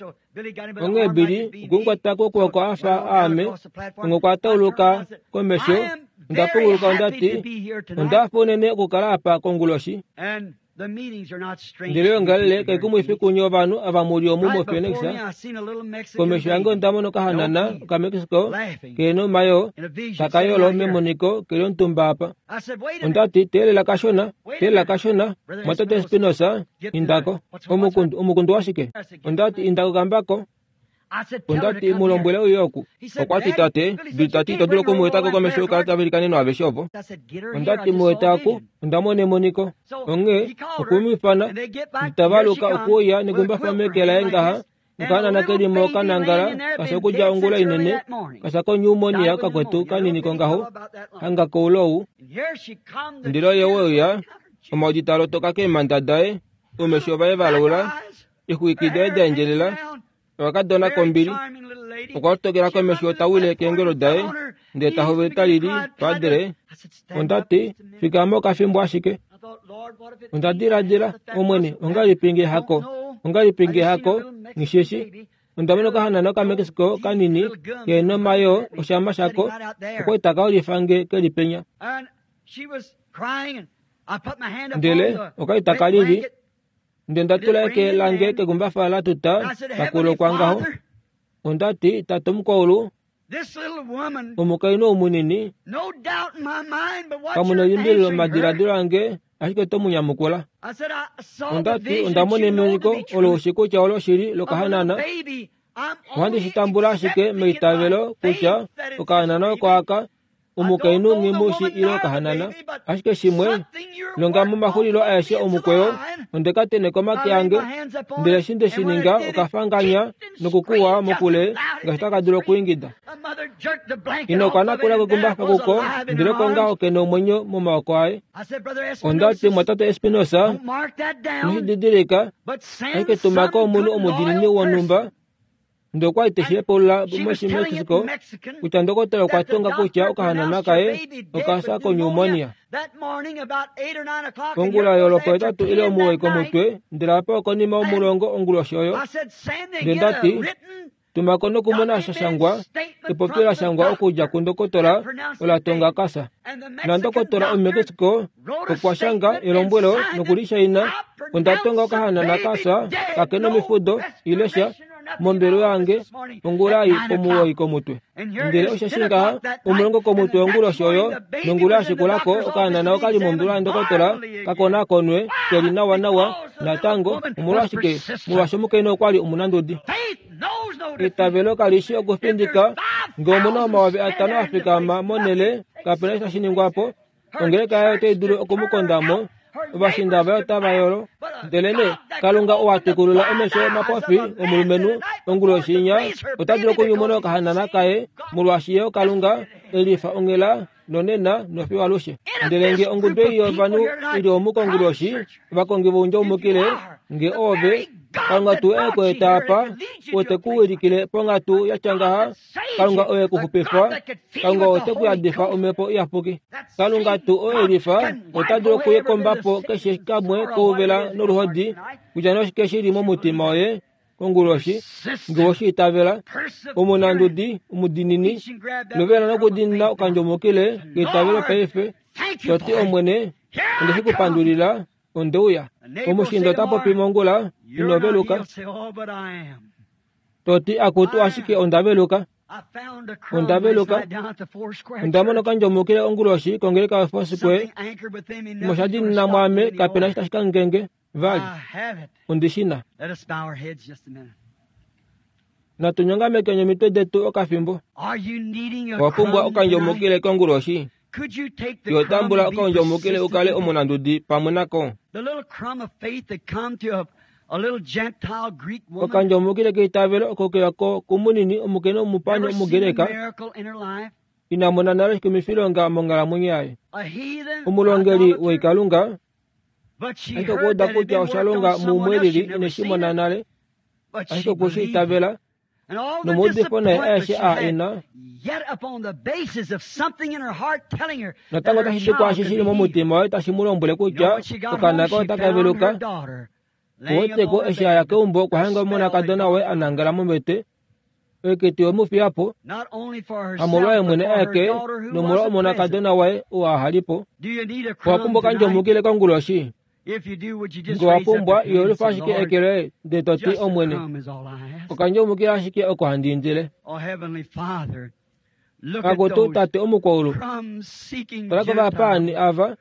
Onghee Billy okwemukwata kokwooko afa aame, onghee okwa tauluka komesho. Onda punguluka onda ti, onda hafa unene okukala apa konguloshi. Ndele oyoongalele kaikumwifi kunye ovanhu ava muli omu moPhoenix. Komesho yange onda mona okahanana okaMexico kehena omayoo taka yolo memoniko keli omutumba apa. Onda ti, teelela kashona, teelela kashona, mwatate Espinosa, indako. Omukundu, omukundu washike? Onda ti, indako kambako. Onda ti, mu lombwele uye oku. Okwa ti, tate, Billy tati ito dulu okumuetako komesho youkalata velikaneno aveshe ovo. Onda ti, mu eta oku, onda mona emoniko. Onghee okwemu ifana, nditavaluka okuuya nekumbafa meke laye ngaha, nokahanana kelimo kanangala kasha okudja ongula inene, kasha konyumonia kakwetu kanini kongaho, hanga koulou. Ndele oye weuya, omaudi taa lotoka keemhanda daye, oumesho vaye valaula, eexwiki daye da endjelela, okakadona kombili. Okwa lotokela komesho ta wile keengolo daye, ndele ta hovele ta lili, Padre. Onda ti, fikama okafimbo ashike. Onda diladila, Omwene, ongahelipi nge hako? Ongahelipi nge hako? Nghishishi. Onda mona okahanana okaMexico kanini kehena omayoo oshama shako, okwa li taka ulifa nge keli penya. Ndele oka li taka lili, ndele nda tula eke lange kekumbafa la tuta pakulokwa ngaho. Ondati tate omukwaulu omukainhu omunini kamuna elimbililo madiladilo ange ashike to mu nyamukula. Ondati ondamona emoniko olo ushi kutya olo shili lokahanana. Ohandi shi tambula ashike meitavelo kutya okahanana oko aka omukainhu nghimushi ile okahanana. Ashike shimwe longa momaxulilo aeshe omukweyo ondeka teneka omake ange ndele eshi nde shi ninga okafanganya nokukuwa mokule ngaashi taka dulu okuingida. Ina okwa nakula kekumbafa kuko ndele kongaho kena omwenyo momaoko aye. Ondati mwatate Espinosa inoshididilika ashike tumako omunhu omudiinini wonhumba ndele okwali teshi hepaulula moshimexico kutya ndokotola okwa tonga kutya okahanana kaye okafya konyumonia. Ongula yolopo etatu ile omuwoi komutwe ndele apa okonima omulongo onguloshi oyo. Ndele ndati tumako nokumona shashangwa epopyo lashangwa okudja kundokotola ola tonga kasa. Na ndokotola omumexico okwa shanga elombwelo nokulishaina. Onda tonga okahanana kasa kakena omifudo ile sha mombelo yange ongula ei omuwoi komutwe. Ndele osheshi ngaha omulongo komutwe onguloshi oyo nongula yashikulako okahanana okali mombelo yandokotola kakonakonwe keli nawa nawa natango. Omolwashike? Molwaashi omukainhu okwali omunandudi. Eitavelo kalishi okufindika. Ngee omuna omayovi atano afikama monhele kapena eshi tashi ningwapo. Ongeleka yaye otai dulu okumukondamo. Ovashinda vaye otava yolo. Ndele nee Kalunga ou twikululela omesho omapofi omulumenhu onguloshi inya ota dulu okunyumuna okahanana kaye molwaashi ye oKalunga elifa onghela nonena nofiyo alushe. Ndele ngee ongudu ei yovanhu ili omu konguloshi ovakongi voundjaumukile ngee oove Kalunga tuu e ku eta apa ote ku wilikile ponghatu yatya ngaha. Kalunga oye ku xupifa. Kalunga ote ku yadifa omhepo iyapuki. Kalunga tuu oo elifa ota dulu okukombapo keshe kamwe kouvela noluhodi kutya noshike shili momutima woye konguloshi ngee oweshi itavela. Omunandudi omudiinini lovela nokudiinina okandjomukile keitavelo paife. Toti Omwene onde shi kupandulila ondeuya. Omushinda ota popi mongula ino veluka. Toti akutu ashike onda veluka. Onda veluka. Onda mona okandjomukile onguloshi kongeleka yoFoursquare. Shimwe osha diinina mwaame kapena eshi tashi kangenge vali. Ondishina. Natu nyongamekeni omitwe detu okafimbo. Owa pumbwa okandjomukile konguloshi. Iho tambula okandjomukile ukale omunandudi pamwe nako. Okandjomukile keitavelo oko keya kumunini omukainhu omupani Omugreka ina mona nale oshikumwifilonga monghalamwenyo yaye. Omulongeli woikalunga ashike okwa uda kutya osha longa muumwe lili ineshi mona nale ashike okwe shi itavela nomaudifo naye aeshe aa ena natango otashi di kwaashi shili momutima waye tashi mu lombwele kutya okaana kaye otaka veluka. Oweteko eshi aya keumbo okwa hanga omonakadona waye anangala mombete oiketi wemufiyapo hamolwaye mwene aeke nomolwa omonakadona waye oo ahalipo. Owa pumbwa okandjomukile konguloshi. Ngee owa pumbwa iholifa ashike eke loye ndele toti Omwene okandjomukile ashike oko handi indile. Akutu tate omukwaulu tala kovapaani ava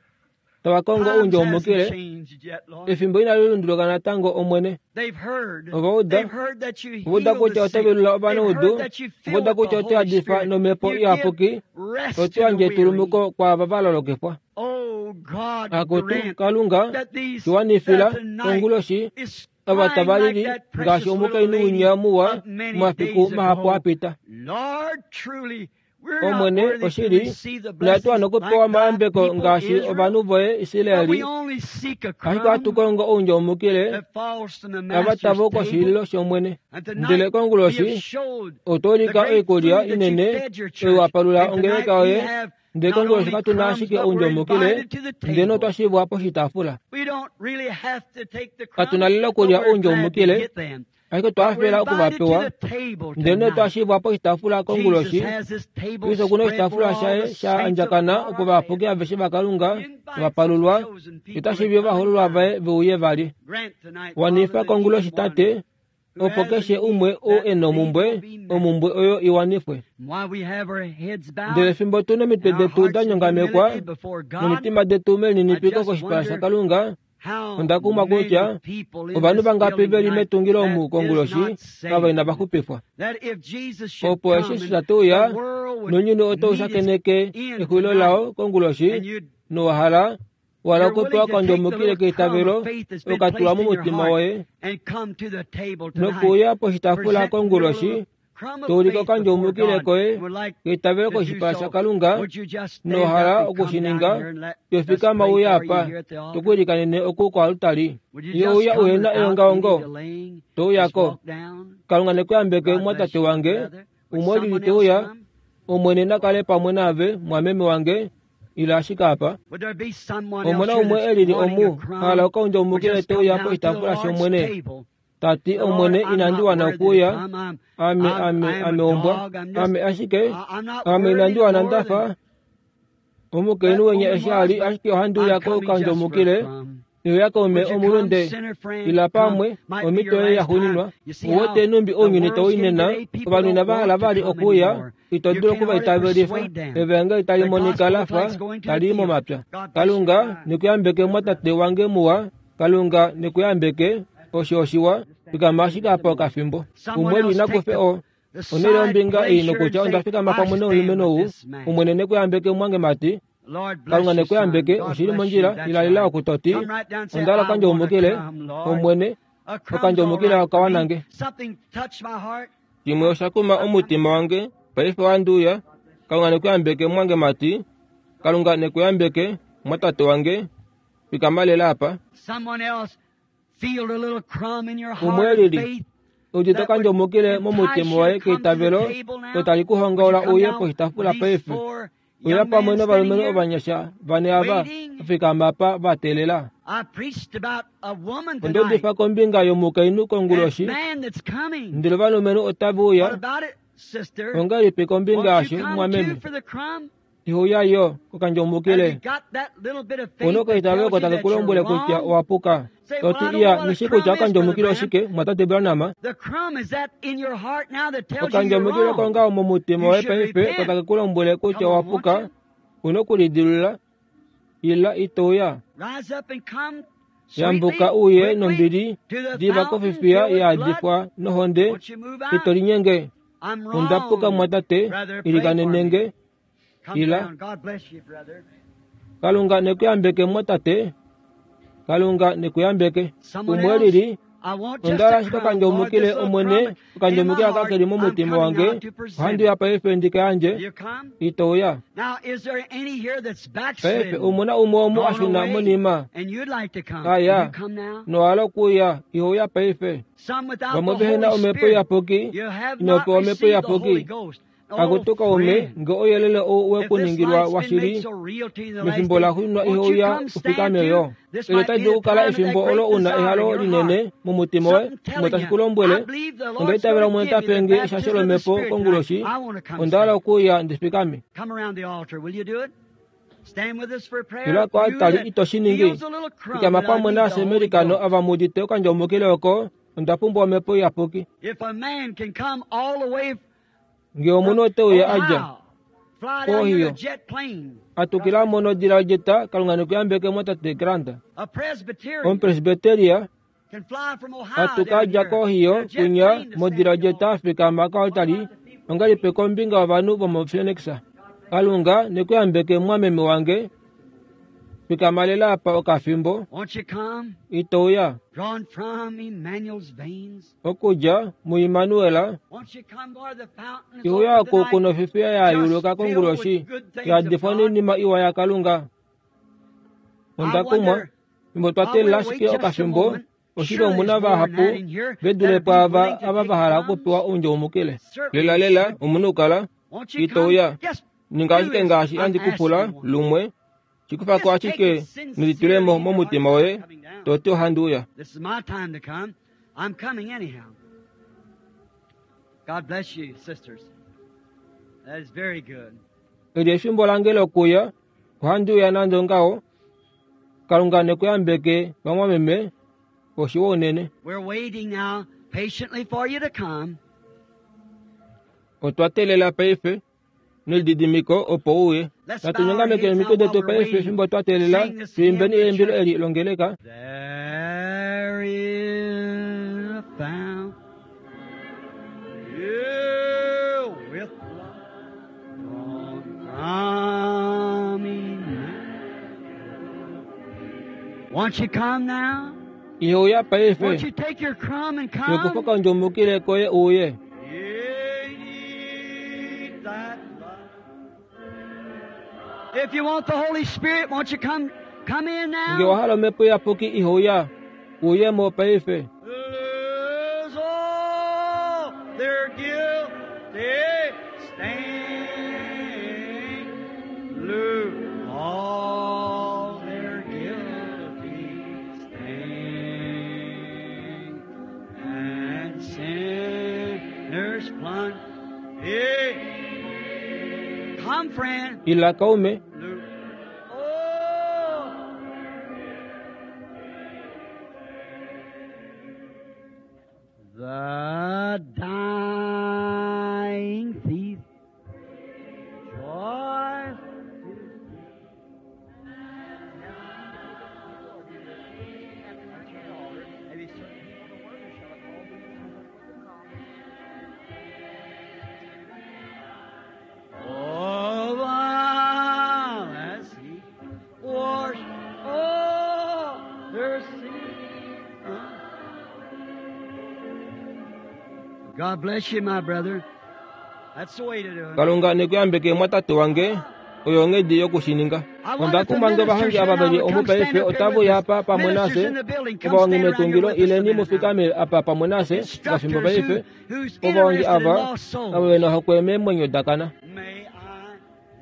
tava kongo oundjaumukile. Efimbo inali lunduluka natango Omwene. Ova uda ova uda kutya oto velula ovanaudu, ova uda kutya oto yadifa nomhepo iyapuki, oto yandje etulumuko kwaava va lolokifwa. Akutu Kalunga shiwanifila konguloshi ava tava lili ngaashi omukainhu winya muwa momafiku mahapu apita. Omwene oshili inatu wana okupewa omayambeko ngaashi ovanhu voye Israeli, ashike ohatu kongo oundjaumukile ava tava koshililo shOmwene. Ndele konguloshi otwa ulika oikulya inene oyo wa palula ongeleka yoye. Ndele konguloshi katuna ashike oundjaumukile ndele notwa shivwa poshitaafula. Katuna lela okulya oundjaumukile ashike otwa hafela okuvapewa. Ndele notwa shivwa poshitaafula konguloshi. Kristo okuna oshitaafula shaye sha andjakana opo ovayapuki aveshe vaKalunga vapalulwa otashivi ovahoololwa vaye veuye vali. Wanifa konguloshi tate Opo keshe umwe oo e na omumbwe, omumbwe oyo iwanifwe. Ndele fimbo tu nomitwe detu da nyongamekwa nomitima detu melininipiko koshipala shaKalunga, onda kumwa kutya ovanhu vangapi veli metungilo omu konguloshi ava inava xupifwa. Opo eshi shatuya nounyuni otau shakeneke exulilo lao konguloshi nowahala wala okupewa okandjomukile keitavelo okatulwa momutima woye nokuuya poshitaafula konguloshi toulika okandjomukile koye keitavelo koshipala shaKalunga nowahala okushininga yofikama uya apa tokuilikanene oku koalutali. Youya uhena eongaongo touyako. Kalunga nekuyambeke mwatate wange umwe lili teuya Omwene nakale pamwe naave mwameme wange ila ashike apa. Omona umwe elili omu hala okaundjomukile teuya poshitaafula shOmwene tati Omwene inandi wana okuuya ame ame ame ombwa ame ashike ame inandi wana ndafa omukainhu wenya eshi ali ashike ohandi uya kokandjomukile neuya kaume omulunde ila pamwe omhito yoye yaxuuninwa. Uwete numbi ounyuni tau inena ovanhu inava hala vali okuuya ito dulu okuvaitavelifa evangeli tali monika lafa tali i momapya. Kalunga nekuyambeke mwatate wange muwa. Kalunga nekuyambeke osho oshiwa fikama ashike apa okafimbo. Umwe li nakufe o onele ombinga ei nokutya onda fikama pamwe nomulumenhu ou. Omwene nekuyambeke mwange mati. Kalunga nekuyambeke oshili mondjila ilalila okutoti onda hala okandjomukile Omwene okandjomukile okawanange. Shimwe osha kuma omutima wange paife wanduuya. Kalunga nekuyambeke mwange mati. Kalunga nekuyambeke mwatate wange fikama lela apa. Umwe lili udite okandjomukile momutima woye keitavelo otali kuhongaula uye poshitaafula paife. Uya pamwe novalumenhu ovanyasha vane ava vafikama apa va teelela. Onda udifa kombinga yomukainhu konguloshi ndele ovalumenhu otava uya. Ongahelipi kombinga yasho mwameme? Ihouya yo kokandjomukile. Una okaitavelo ko take ku lombwele kutya owapuka. Toti iya nishi kutya okandjomukile oshike mwatate Branham. Okandjomukile kongaho momutima woye paife ko take ku lombwele kutya owapuka. Una okulidilula ila itouya. Yambuka uye nombili diva kofifiya yaadifwa nohonde ito linyenge. Ondapuka mwatate ilikanenenge ila. Kalunga nekuyambeke mwatate. Kalunga nekuyambeke. Umwe lili onda hala ashike okandjomukile Omwene okandjomukile aka keli momutima wange ohandi uya paife ndika yandje itouya. Paife omuna umwe omu ashuna monima aya nowahala okuuya ihouya paife. Vamwe vehena omhepo iyapuki inopewa omhepo iyapuki akutu kaume nge ouyelele ou wekuningilwa washili mefimbo laxuuninwa ihouya ufikame yo. Eli otali dulu okukala efimbo olo una ehalo linene momutima woye shimwe tashi ku lombwele onda itavela Omwene ta pe nge eshasho lomhepo konguloshi onda hala okuuya ndi fikame. Ila koaltari ito shi ningi. Fikama pamwe nafye meilikano ava mu udite okandjomukile oko onda pumbwa omhepo iyapuki. Nge omunhu oteuya adja kOhio atukila mono odila yodjeta Kalunga nekuyambeke mwatate Grant. Omupresbyteria atuka adja kOhio kunya modila yodjeta fikama koaltari ongahelipi kombinga yovanhu vomoPhoenix. Kalunga nekuyambeke mwameme wange fikama lela apa okafimbo itouya. Okudja muImmanuel ihouya oku kunofifiya yayuluka konguloshi yaadifwa noinima iwa yaKalunga. Onda kumwa fimbo twa teelela ashike okafimbo oshili omuna vahapu ve dule pwaava ava vahala okupewa oundjomukile. Lela lela omunhu kala itouya. Ninga ashike ngaashi handi kupula lumwe shikufako ashike nelitulemo momutima woye toti ohandi uya. Eli efimbo lange lokuya ohandi uya nande ongaho. Kalunga nekuyambeke vamwameme oshiwa unene. patiently for you to come. Otwa teelela paife nelididimiko opo uye. Natu nyongameke omitwe detu paife fimbo twa teelela tuimbeni eimbilo eli longeleka. There is a fountain with love from Emmanuel. Won't you come now? Ihouya paife. Won't you take your crumb and come? Yokufa kaundjomukile koye uye. You need that love. If you want the Holy Spirit, won't you come come in Nge now? wahala omhepo iyapuki ihouya uye mo paife. Lose all their guilty stain. Lose all their guilty stain. And sinners plunge. Hey. Come, friend. Ila kaume. Lose. Oh. The dying thief joy. Oh, while as he washed all their sin. God bless you, my brother. That's the way to do it. Kalunga nekuyambeke mwatate wange oyo onghedi yokushininga. Onda kumbange ovahongi ava veli omu paife otava apa pamwe nafye. Ovahongi metungilo ileni mufikame apa pamwe nafye ngafimbo paife. Ovahongi ava ava vena ohokwe meemwenyo dakana. May I,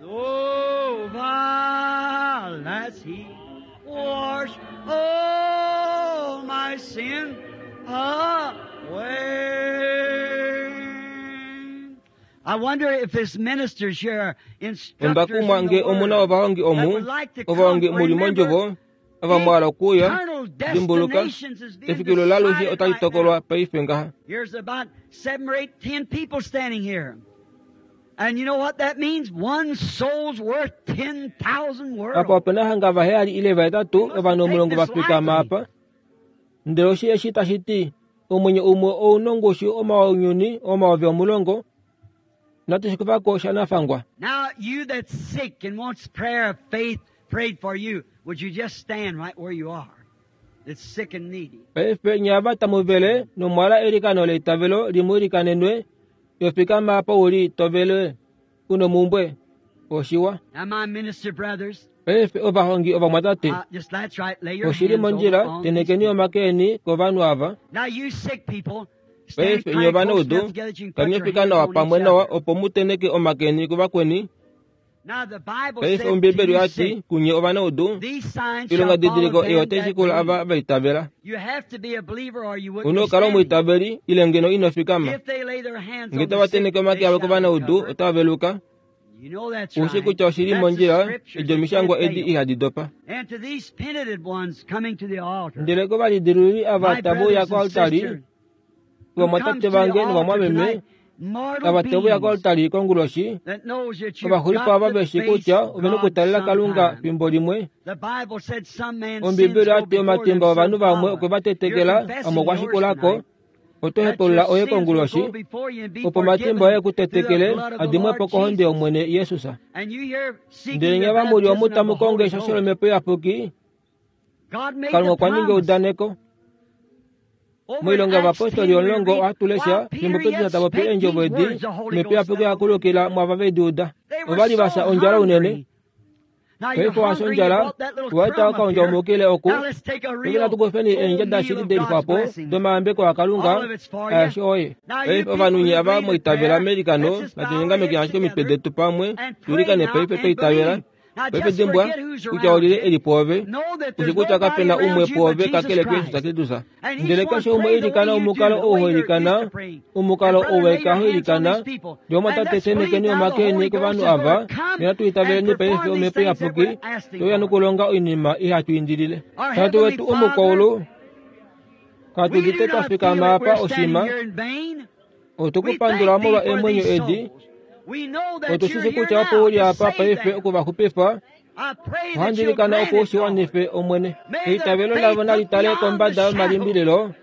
oh, while as he wash all my sin away. I wonder if his ministers here are Onda instructors kumwa in nge the omuna word ovahongi that omu would like to ovahongi come. muli Remember, mondjovo ava mwala okuuya eternal dimbuluka destinations is being efikilo lalushe decided otali right now. tokolwa paife ngaha. Here's about seven or eight, ten people standing here. And you know what that means? One soul's worth ten thousand Apa worlds. opena hanga vaheyali ile vahetatu ovanhu omulongo vafikama apa. Ndele oshi eshi tashi ti omwenyo umwe ouna ongushu omaunyuni omayovi omulongo natu shikufako shanafangwa. Now, you that's sick and wants prayer of faith prayed for you, would you just stand right where you are? That's sick and needy. Paife nye ava tamuvele nomwala eilikano leitavelo limuilikanenwe yofikama apa uli tovele unomumbwe oshiwa. Now, my minister brothers, Paife ovahongi ovamwatate uh, just that's right, lay your oshili hands over mondjila on these tenekeni people. omake eni kovanhu ava. Now, you sick people, stand Paife kind nye close enough ovanaudu together that you can put your kamyefika hands nawa on pamwe each nawa other. opo muteneke omake eni kuvakweni. Now, the Bible Paife said to Ombiibeli you oyati sick, kunye ovanaudu these signs shall ilonga follow didiliko them iyo that otaishikula believe. ava vaitavela. You have to be a believer or you wouldn't Una be okukala standing. omwiitaveli ile ngeno ino fikama. If they lay their hands Nge on the tava sick, teneke they omake avo shall kovanaudu recover. otava veluka. You know that's Ushi right. kutya oshili That's the mondjila scriptures edi that omishangwa can't edi fail. ihadi dopa. And to these penitent ones coming to the altar, Ndele kovalidiluli ava my tave uya brothers and koaltari sisters, who comes vamwatate to the vange altar novamwameme tonight, mortal ava teve uya beings koaltari konguloshi that knows that you've ovaxulipo got ava to veshi face kutya ovena God okutalela Kalunga sometime. fimbo limwe. The Bible said some man's sins Ombiibeli go oyati before them, omatimba some ovanhu vamwe follow. okwe va You're tetekela amwe confessing okwa yours shikulako tonight. oto That your hepulula oye sins will go konguloshi before you and be opo matimba oye forgiven ku through the tetekele blood of the adimwepo Lord kohonde Jesus. yOmwene Jesus. And you here seeking Ndele the nye vamuli omu baptism of tamu the kongo Holy eshasho Ghost. lomhepo iyapuki God made Kalunga the okwa ninga promise. eudaneko. Over in Moilonga Acts yovapostoli ten we omulongo read, ohatu lesha while fimbo Peter Petrus yet ta popi spake eendjovo these edi words, the Holy omhepo Ghost iyapuki fell on them. yakulukila mwava vedi uda. They were Ovali vasa so ondjala unene. hungry. Now you're Paife wasa hungry, you ondjala brought that little waeta crumb up okaundja here. omukile oku. Now let's take a Paife real natu kufeni full eendja meal dashili of de God's lixwapo blessings. domayambeko aKalunga All of it's for you. aeshe oye. Now you Paife people ovanhu who nye ava believe in moitavela prayer, meilikano let's just bow natu our nyongameke heads ashike omitwe together detu pamwe and pray tuilikane now paife and twaitavela. believe. Now Paife just dimbwa forget who's kutya around olile you. eli pwoove Know that ushi there's kutya nobody kapena umwe around you but pwoove Jesus kakele Kristus Christ. Kristus. And each Ndele one keshe umwe pray the way ilikana you do, omukalo the ou way ho you're used ilikana to praying. And omukalo brother, lay ou your ho hands on ilikana these people. ndele And omwatate let's believe tenekeni now the omake eni Holy Ghost kovanhu is going ava to come nena tuitaveleni and paife perform these omhepo things that iyapuki we're asking toya for. nokulonga oinima ihatu indilile. Our Tate Heavenly wetu Father, omukwaulu Katu We udite do twa not fikama feel that apa we're oshima. standing here in vain. Otu We ku pandula thank thee molwa for eemwenyo these edi. souls. We know that Otu you're shi shi here kutya opo now uli to apa save paife them. oku va xupifa. I pray that Ohandi you'll ilikana grant opo u it, shi Lord. wanife, Omwene. May their Eitavelo faith lavo nali look tale beyond the kombada shadow. yomalimbililo.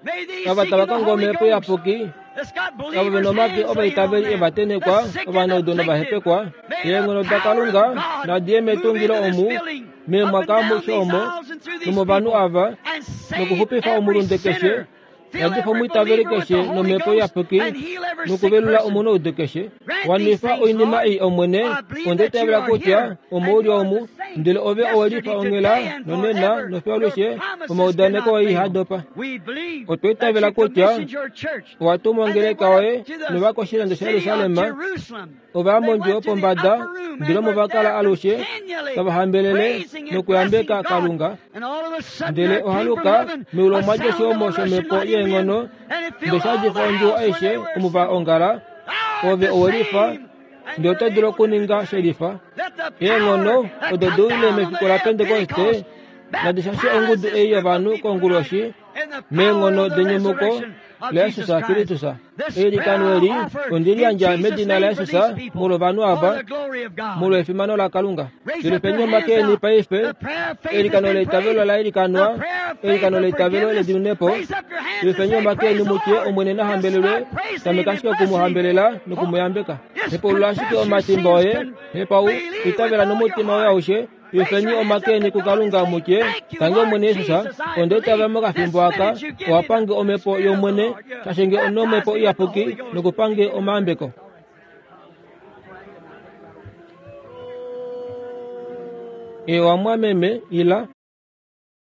May these Ava seeking tava the kongo Holy omhepo Ghost iyapuki. that's got Ava vena believers' omake hands laying on ovaitaveli them, evatenekwa, the sick and ovanaudu afflicted. novahepekwa. May the Eenghono power of daKalunga God nadiye move metungilo into this omu, building, up and meemwaka down amushe these omo, aisles and through these nomovanhu people, ava, and save nokuxupifa every omulunde keshe, sinner. Fill yadifa every omwiitaveli believer with keshe the Holy nomhepo Ghost iyapuki, and heal every sick nokuvelula person. omunaudu keshe. Grant these Wanifa things, oinima Lord. ei, Omwene, I believe onde that you itavela are kutya here omo and uli you are omu, the same ndele ove owe lifa yesterday, onghela, today, and nonena, forever. nofiyo Your alushe, promises omaudaneko cannot oye fail. ihadopa. We believe Otwa that itavela you kutya commissioned your church. owa tuma And they ongeleka went yoye up to the nova koshilando city of shaJerusalem, Jerusalem. ova They mondjo went to the yopombada, upper room ndele and omo were va kala there alushe continually tava hambelele praising and blessing nokuyambeka God. Kalunga. And all of a sudden Ndele there came from ohaluka heaven meulu a omwa dja sound of oshihomo a rushing shomhepo mighty wind, yeenghono, and it ndele filled sha all djifa the ondjuwo house where aishe they were omo va assembled. ongala. Thou art Ove the owe lifa, same, and ndele you're oto dulu able to do okuninga the she same. lifa. Let the Eenghono power that odo come di uile down on the mefiku day la of Pentekoste Pentecost nadi shashe baptize ongudu this ei group of yovanhu people tonight konguloshi in the power meenghono of the denyumuko resurrection of la Jesus Jesus Christ. Kristus. This prayer Eilikano I eli offer ondi in liyandja Jesus' medina name for laJesus these people, molwovanhu for ava, the glory of God. molwa efimano laKalunga. Raise up your Yelufeni hands omake eni now. paife. The prayer of faith has Eilikano been leitavelo prayed. la ilikanwa, The prayer of faith eilikano of leitavelo forgiveness. ledimunepo. Raise up your hands and Yelufeni say, omake Praise eni the mutye Lord. Omwene na Just hambelelwe, start praising Him tameka and ashike blessing Him. okumuhambelela Oh, nokumuyambeka. just Hepulula ashike confess your omatimba sins. oye, Con- hepau believe with itavela all your nomutima woye heart. aushe. Raise Yelufeni your hands omake up eni to God and kuKalunga say, mutye, Thank you, tange Lord Omwene Jesus, Jesus. I onde itavela believe this mokafimbo aka, minute you give me the owapange omhepo Spirit of the yOmwene, Lord. You shashenge baptize onomhepo me with the iyapuki Holy Ghost. nokupange omayambeko. Ewa mwameme ila.